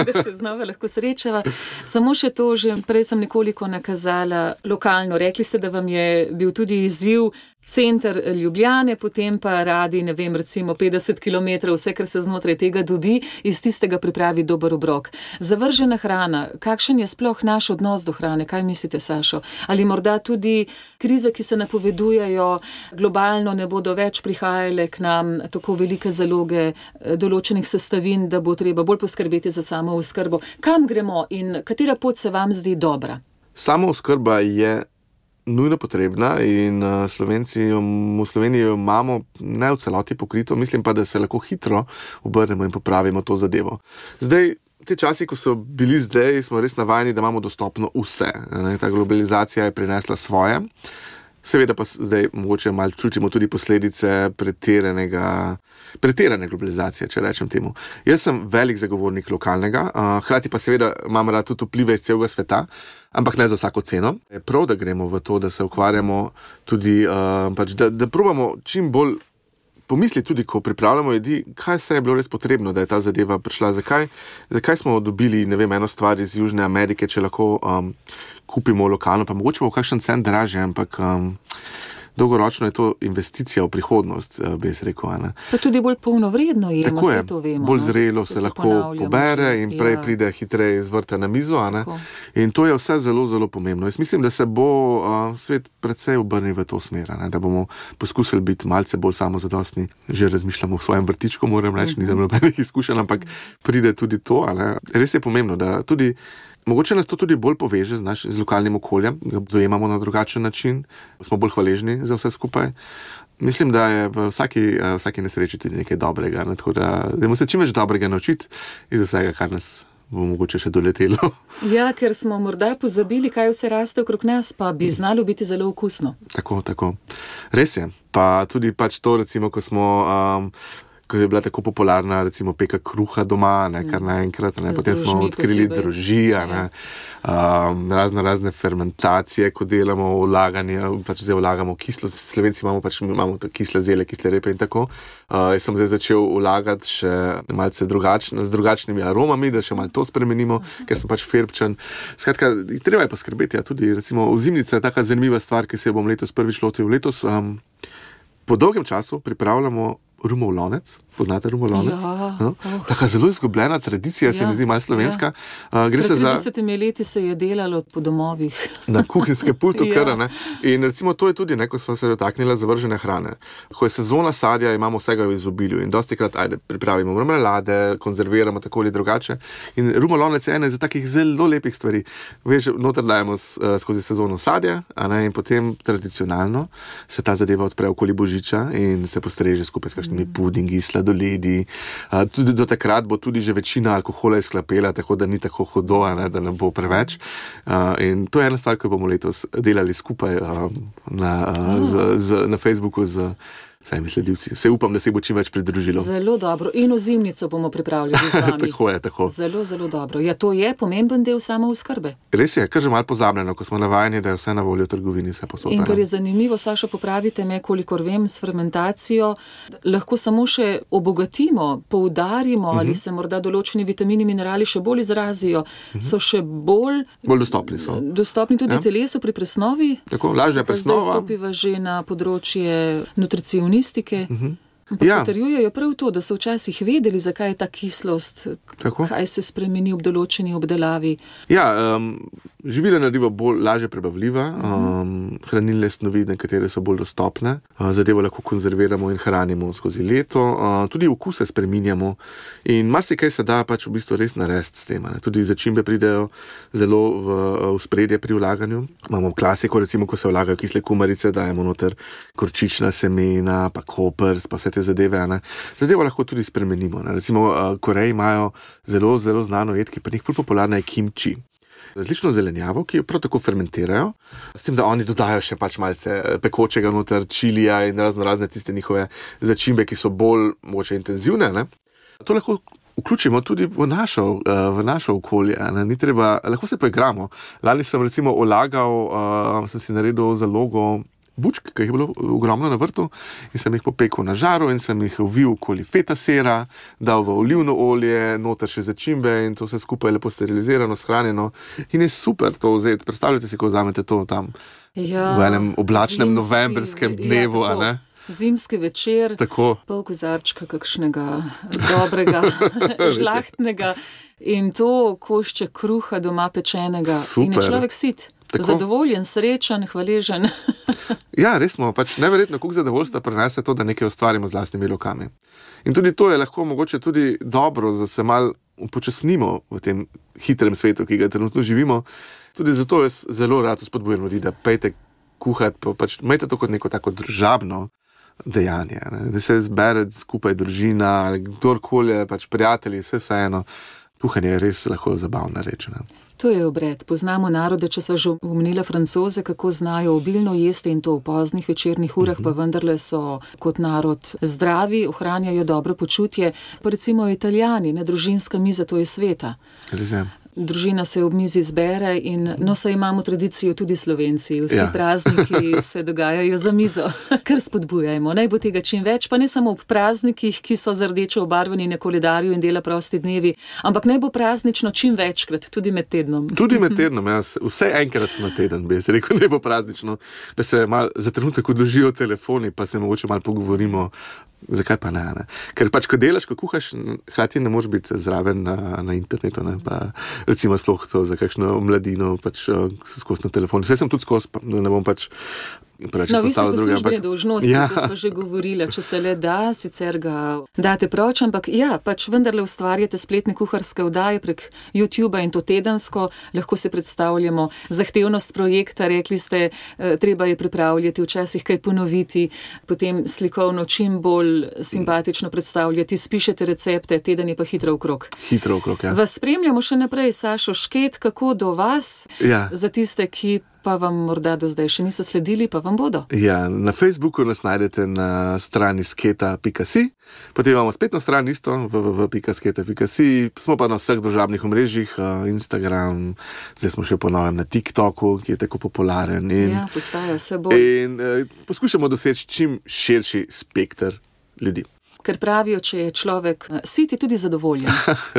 Speaker 3: Da se znova lahko srečava. Samo še to, že prej sem nekoliko nakazala lokalno. Rekli ste, da vam je bil tudi izziv center Ljubljane, potem pa radi, ne vem, recimo petdeset kilometrov, vse, kar se znotraj tega dobi, iz tistega pripravi dober obrok. Zavržena hrana, kakšen je sploh naš odnos do hrane? Kaj mislite, Sašo? Ali morda tudi krize, ki se napovedujejo, globalno ne bodo več prihajale k nam tako velike zaloge določenih sestavin, da bo treba bolj poskrbeti za samo oskrbo? Kam gremo in katera pot se vam zdi dobra?
Speaker 4: Samo oskrba je nujno potrebna in uh, Slovenci jo, v Sloveniji jo imamo ne v celoti pokrito, mislim pa, da se lahko hitro obrnemo in popravimo to zadevo. Zdaj, te časi, ko so bili zdaj, smo res navajeni, da imamo dostopno vse. Ne? Ta globalizacija je prinesla svoje. Seveda pa zdaj mogoče malo čutimo tudi posledice pretiranega, pretirane globalizacije, če rečem temu. Jaz sem velik zagovornik lokalnega, uh, hkrati pa seveda imam rad tudi vplive iz celega sveta, ampak ne za vsako ceno. Je prav, da gremo v to, da se ukvarjamo tudi, uh, pač, da, da probamo čim bolj pomisliti tudi, ko pripravljamo jedi, kaj se je bilo res potrebno, da je ta zadeva prišla. Zakaj, zakaj smo dobili, ne vem, eno stvar iz Južne Amerike, če lahko um, kupimo lokalno, pa mogoče bo kakšen cent dražje, ampak um, dolgoročno je to investicija v prihodnost, bi jaz rekel. Ne?
Speaker 3: Pa tudi bolj polnovredno je,
Speaker 4: tako je,
Speaker 3: to vemo.
Speaker 4: Bolj zrelo
Speaker 3: se,
Speaker 4: se, se lahko
Speaker 3: že,
Speaker 4: pobere in prej
Speaker 3: ja.
Speaker 4: pride hitreje iz vrta na mizo. A ne? In to je vse zelo, zelo pomembno. Jaz mislim, da se bo uh, svet precej obrnil v to smer, ne? Da bomo poskusili biti malce bolj samozadostni. Že razmišljamo v svojem vrtičku, moram reči, nisem nobenih izkušenj, ampak pride tudi to. A ne? Res je pomembno, da tudi mogoče nas to tudi bolj poveže z, naš, z lokalnim okoljem, ga dojemamo na drugačen način, smo bolj hvaležni za vse skupaj. Mislim, da je v vsaki, vsaki nesreči tudi nekaj dobrega, ne? Tako da dajmo se čim več dobrega naučiti iz vsega, kar nas bo mogoče še doletelo.
Speaker 3: Ja, ker smo morda pozabili, kaj vse raste okrog nas, pa bi znalo biti zelo okusno.
Speaker 4: Tako, tako. Res je. Pa tudi pač to, recimo, ko smo... Um, ko je bila tako popularna, recimo, peka kruha doma, ne, kar naenkrat, ne, potem smo odkrili drožija, ne, um, razno razne fermentacije, ko delamo vlaganje, pač zdaj vlagamo kislo, Slovenci imamo pač, imamo kisle zele, kisle repe in tako. Uh, jaz sem zdaj začel vlagati še malce drugačno, z drugačnimi aromami, da še malo to spremenimo, ker sem pač ferbčan. Skratka, treba je poskrbeti, ja, tudi, recimo, ozimnica je taka zanimiva stvar, ki se jo bom letos prvič lotil. Letos um, po dolgem času pripravljamo rumov lonec. Poznate rumov lonec?
Speaker 3: Ja.
Speaker 4: No? Taka zelo izgubljena tradicija, ja, se mi zdi malo slovenska. Ja. Uh, gre
Speaker 3: Pred
Speaker 4: se za
Speaker 3: tridesetimi leti se je delalo po domovih.
Speaker 4: Na kuhinjske pultu
Speaker 3: Ja.
Speaker 4: kar, ne. In recimo to je tudi, ne, ko smo se dotaknila zavržene hrane. Ko je sezona sadja, imamo vsega v izobilju in dostikrat, ajde, pripravimo marmelade, konzerviramo tako ali drugače. In rumov lonec je ena iz takih zelo lepih stvari. Veš, noter dajemo s, uh, skozi sezono sadja, a ne, in potem tradicionalno se ta zadeva odpre okoli božiča in se postreže skupaj s kakšnimi pudingi, sladoledi. Uh, tudi do takrat bo tudi že večina alkohola izklapela, tako da ni tako hudo, ne, da ne bo preveč. Uh, in to je ena stvar, ki bomo letos delali skupaj uh, na, uh, z, z, na Facebooku z vsemi sledilci. Se upam, da se bo čim več pridružilo.
Speaker 3: Zelo dobro. In ozimnico bomo pripravljali z vami.
Speaker 4: Tako je, tako.
Speaker 3: Zelo, zelo dobro. Ja, to je pomemben del samooskrbe.
Speaker 4: Res je, kar že malo pozabljeno, ko smo navajeni, da je vse na voljo v trgovini, vse posod.
Speaker 3: In kar je zanimivo, Saša, popravite me, kolikor vem, s fermentacijo lahko samo še obogatimo, poudarimo, uh-huh. ali se morda določeni vitamini, minerali še bolj izrazijo, uh-huh. so še bolj,
Speaker 4: bolj dostopni so.
Speaker 3: Dostopni tudi
Speaker 4: ja.
Speaker 3: telesu pri presnovi.
Speaker 4: Tako, lažja presnova.
Speaker 3: Zdaj stopiva že na področje nutricionistike.
Speaker 4: Uh-huh.
Speaker 3: Ampak
Speaker 4: Ja.
Speaker 3: potrjujejo prav to, da so včasih vedeli, zakaj je ta kislost,
Speaker 4: Tako.
Speaker 3: kaj se spremeni ob določeni obdelavi.
Speaker 4: Ja, um, živila narediva bolj lažje prebavljiva, um, hranilne snovi, nekatere so bolj dostopne, uh, zadevo lahko konzerviramo in hranimo skozi leto, uh, tudi okuse spreminjamo in marsikaj se da pač v bistvu res narediti s tem. Ne? Tudi začimbe pridejo zelo v, v spredje pri vlaganju. Imamo klasiko, recimo, ko se vlagajo kisle kumarice, dajemo noter gorčična semena, pa kopers, pa vse te zadeve. Ne? Zadevo lahko tudi spremenimo. Ne? Recimo, uh, Koreji imajo zelo, zelo znano jed, ki pri njih ful popularna je kimči. Različno zelenjavo, ki jo prav tako fermentirajo, s tem, da oni dodajo še pač malce pekočega noter, čilija in razno razne tiste njihove začimbe, ki so bolj mogoče intenzivne. Ne? To lahko vključimo tudi v našo, v našo okolje. Ne? Ni treba, lahko se poigramo. Lani sem recimo olagal, uh, sem si naredil zalogo bučk, ki jih je bilo ogromno na vrtu in sem jih popekel na žaru in sem jih uvil okoli feta sera, dal v olivno olje, noter še začimbe in to vse skupaj lepo sterilizirano, shranjeno in je super to vzeti. Predstavljate si, ko vzamete to tam
Speaker 3: Ja,
Speaker 4: v enem oblačnem
Speaker 3: zimski,
Speaker 4: novembrskem dnevu,
Speaker 3: ja,
Speaker 4: a ne?
Speaker 3: Zimski večer,
Speaker 4: Tako.
Speaker 3: pol kozarčka kakšnega dobrega, žlahtnega in to košče kruha doma pečenega.
Speaker 4: Super.
Speaker 3: In je človek sit,
Speaker 4: Tako.
Speaker 3: zadovoljen, srečen, hvaležen.
Speaker 4: Ja, res smo, pač neverjetno, koliko zadovoljstva prinese to, da nekaj ustvarimo z lastnimi rokami. In tudi to je lahko mogoče tudi dobro, da se malo upočasnimo v tem hitrem svetu, ki ga trenutno živimo. Tudi zato jaz zelo rad spodbujam ljudi, da pejte kuhati, pa pač imejte to kot neko tako družabno dejanje, ne? Da se zbere skupaj družina, ali kdorkoli, pač prijatelji, vse vseeno. Kuhanje je res lahko zabavna reč. Ne?
Speaker 3: To je obred. Poznamo narode, če sva že omenila Francoze, kako znajo obilno jesti in to v poznih večernih urah, uh-huh. pa vendarle so kot narod zdravi, ohranjajo dobro počutje. Pa recimo Italijani, ne, družinska miza, to je sveta.
Speaker 4: Res je.
Speaker 3: Družina se ob mizi zbere in no, saj imamo tradicijo tudi Slovenci. Vsi ja. prazniki se dogajajo za mizo, kar spodbujajmo. Naj bo tega čim več, pa ne samo ob praznikih, ki so z rdečo obarvani na koledarju in dela prosti dnevi, ampak naj bo praznično čim večkrat, tudi med tednom.
Speaker 4: Tudi med tednom, jaz, vse enkrat na teden bi se rekel, naj bo praznično, da se mal za trenutek odložijo telefoni, pa se mogoče malo pogovorimo. Zakaj pa ne, ne? Ker pač, ko delaš, ko kuhaš, hkrati ne moreš biti zraven na, na internetu, ne? Pa recimo sploh to za kakšno mladino, pač skozi na telefonu. Vse sem tudi skozi, da ne bom pač preveč
Speaker 3: no,
Speaker 4: izpostavil druge.
Speaker 3: No, vi ste poslužbene dolžnosti, ja. To smo že govorili, če se le da, sicer ga date proč, ampak ja, pač vendarle ustvarjate spletne kuharske oddaje prek YouTubea in to tedensko, lahko si predstavljamo zahtevnost projekta, rekli ste, treba je pripravljati, včasih kaj ponoviti, potem slikovno čim bolj simpatično predstavljati, spišete recepte, teden je pa hitro okrog.
Speaker 4: Hitro okrog, ja.
Speaker 3: Vas spremljamo še naprej, Sašo Šket, kako do vas,
Speaker 4: ja.
Speaker 3: Za tiste, ki pa vam morda do zdaj še niso sledili, pa vam bodo.
Speaker 4: Ja, na Facebooku nas najdete na strani sketa pika si, potem imamo spletno stran isto, w w w pika sketa pika si, smo pa na vseh družabnih omrežjih, Instagram, zdaj smo še po novem na TikToku, ki je tako popularen. In,
Speaker 3: ja, postaja vse bolj.
Speaker 4: In eh, poskušamo doseči čim širši spekter ljudi.
Speaker 3: Ker pravijo, če je človek sit, je tudi zadovoljen.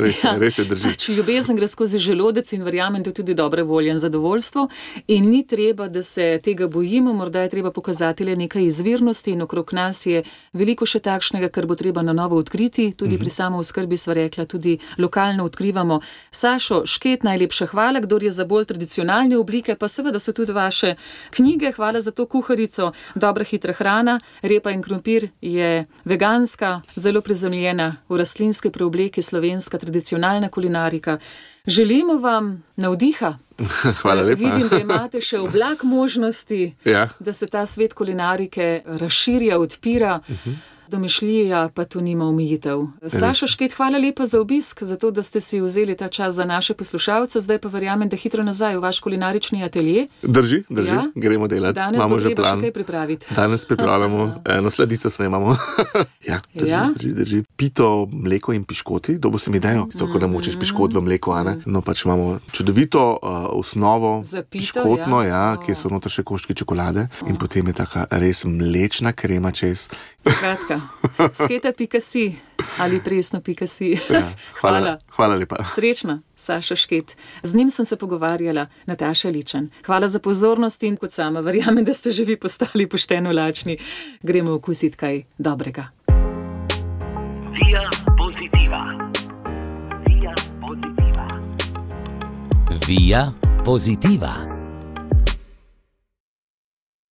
Speaker 4: res,
Speaker 3: ja.
Speaker 4: res je drži.
Speaker 3: Če ljubezen gre skozi želodec in verjamem, da je tudi dobre volje in zadovoljstvo in ni treba, da se tega bojimo, morda je treba pokazati le nekaj izvirnosti in okrog nas je veliko še takšnega, kar bo treba na novo odkriti, tudi uh-huh. pri samooskrbi sva rekla, tudi lokalno odkrivamo. Sašo Šket, najlepša hvala, kdor je za bolj tradicionalne oblike, pa seveda so tudi vaše knjige, hvala za to kuharico, dobra hitra hrana, repa in krompir je veganska, zelo prizemljena v rastlinske preobleke, slovenska tradicionalna kulinarika. Želimo vam navdiha.
Speaker 4: Hvala lepa.
Speaker 3: Vidim, da imate še oblak možnosti,
Speaker 4: ja.
Speaker 3: Da se ta svet kulinarike razširja, odpira. Uh-huh. Domišljija pa tu nima omejitev. Sašo Šket, hvala lepa za obisk, za to, da ste si vzeli ta čas za naše poslušalce. Zdaj pa verjamem, da hitro nazaj v vaš kulinarični atelje.
Speaker 4: Drži, drži, ja? Gremo delati.
Speaker 3: Danes
Speaker 4: imamo
Speaker 3: bo treba
Speaker 4: že plan.
Speaker 3: Še kaj pripraviti.
Speaker 4: Danes pripravljamo, eno sladico snemamo. ja, drži,
Speaker 3: ja?
Speaker 4: drži, drži. Pito, mleko in piškoti, dobo se mi dajo, mm, tako da močeš piškot v mleko, a ne? No pač imamo čudovito uh, osnovo,
Speaker 3: pito,
Speaker 4: piškotno, ja,
Speaker 3: ja
Speaker 4: oh. Kjer so noter še koščki čokolade oh. In potem je taka res mlečna krema čez.
Speaker 3: Skratka, sketa pika si ali presno pika si.
Speaker 4: Ja, hvala, hvala. Hvala lepa.
Speaker 3: Srečna, Saša Šket. Z njim sem se pogovarjala, Nataša Ličen. Hvala za pozornost in kot sama verjamem, da ste že vi postali pošteno lačni. Gremo okusiti kaj dobrega.
Speaker 1: Via Positiva. Via Positiva.
Speaker 2: Via Positiva.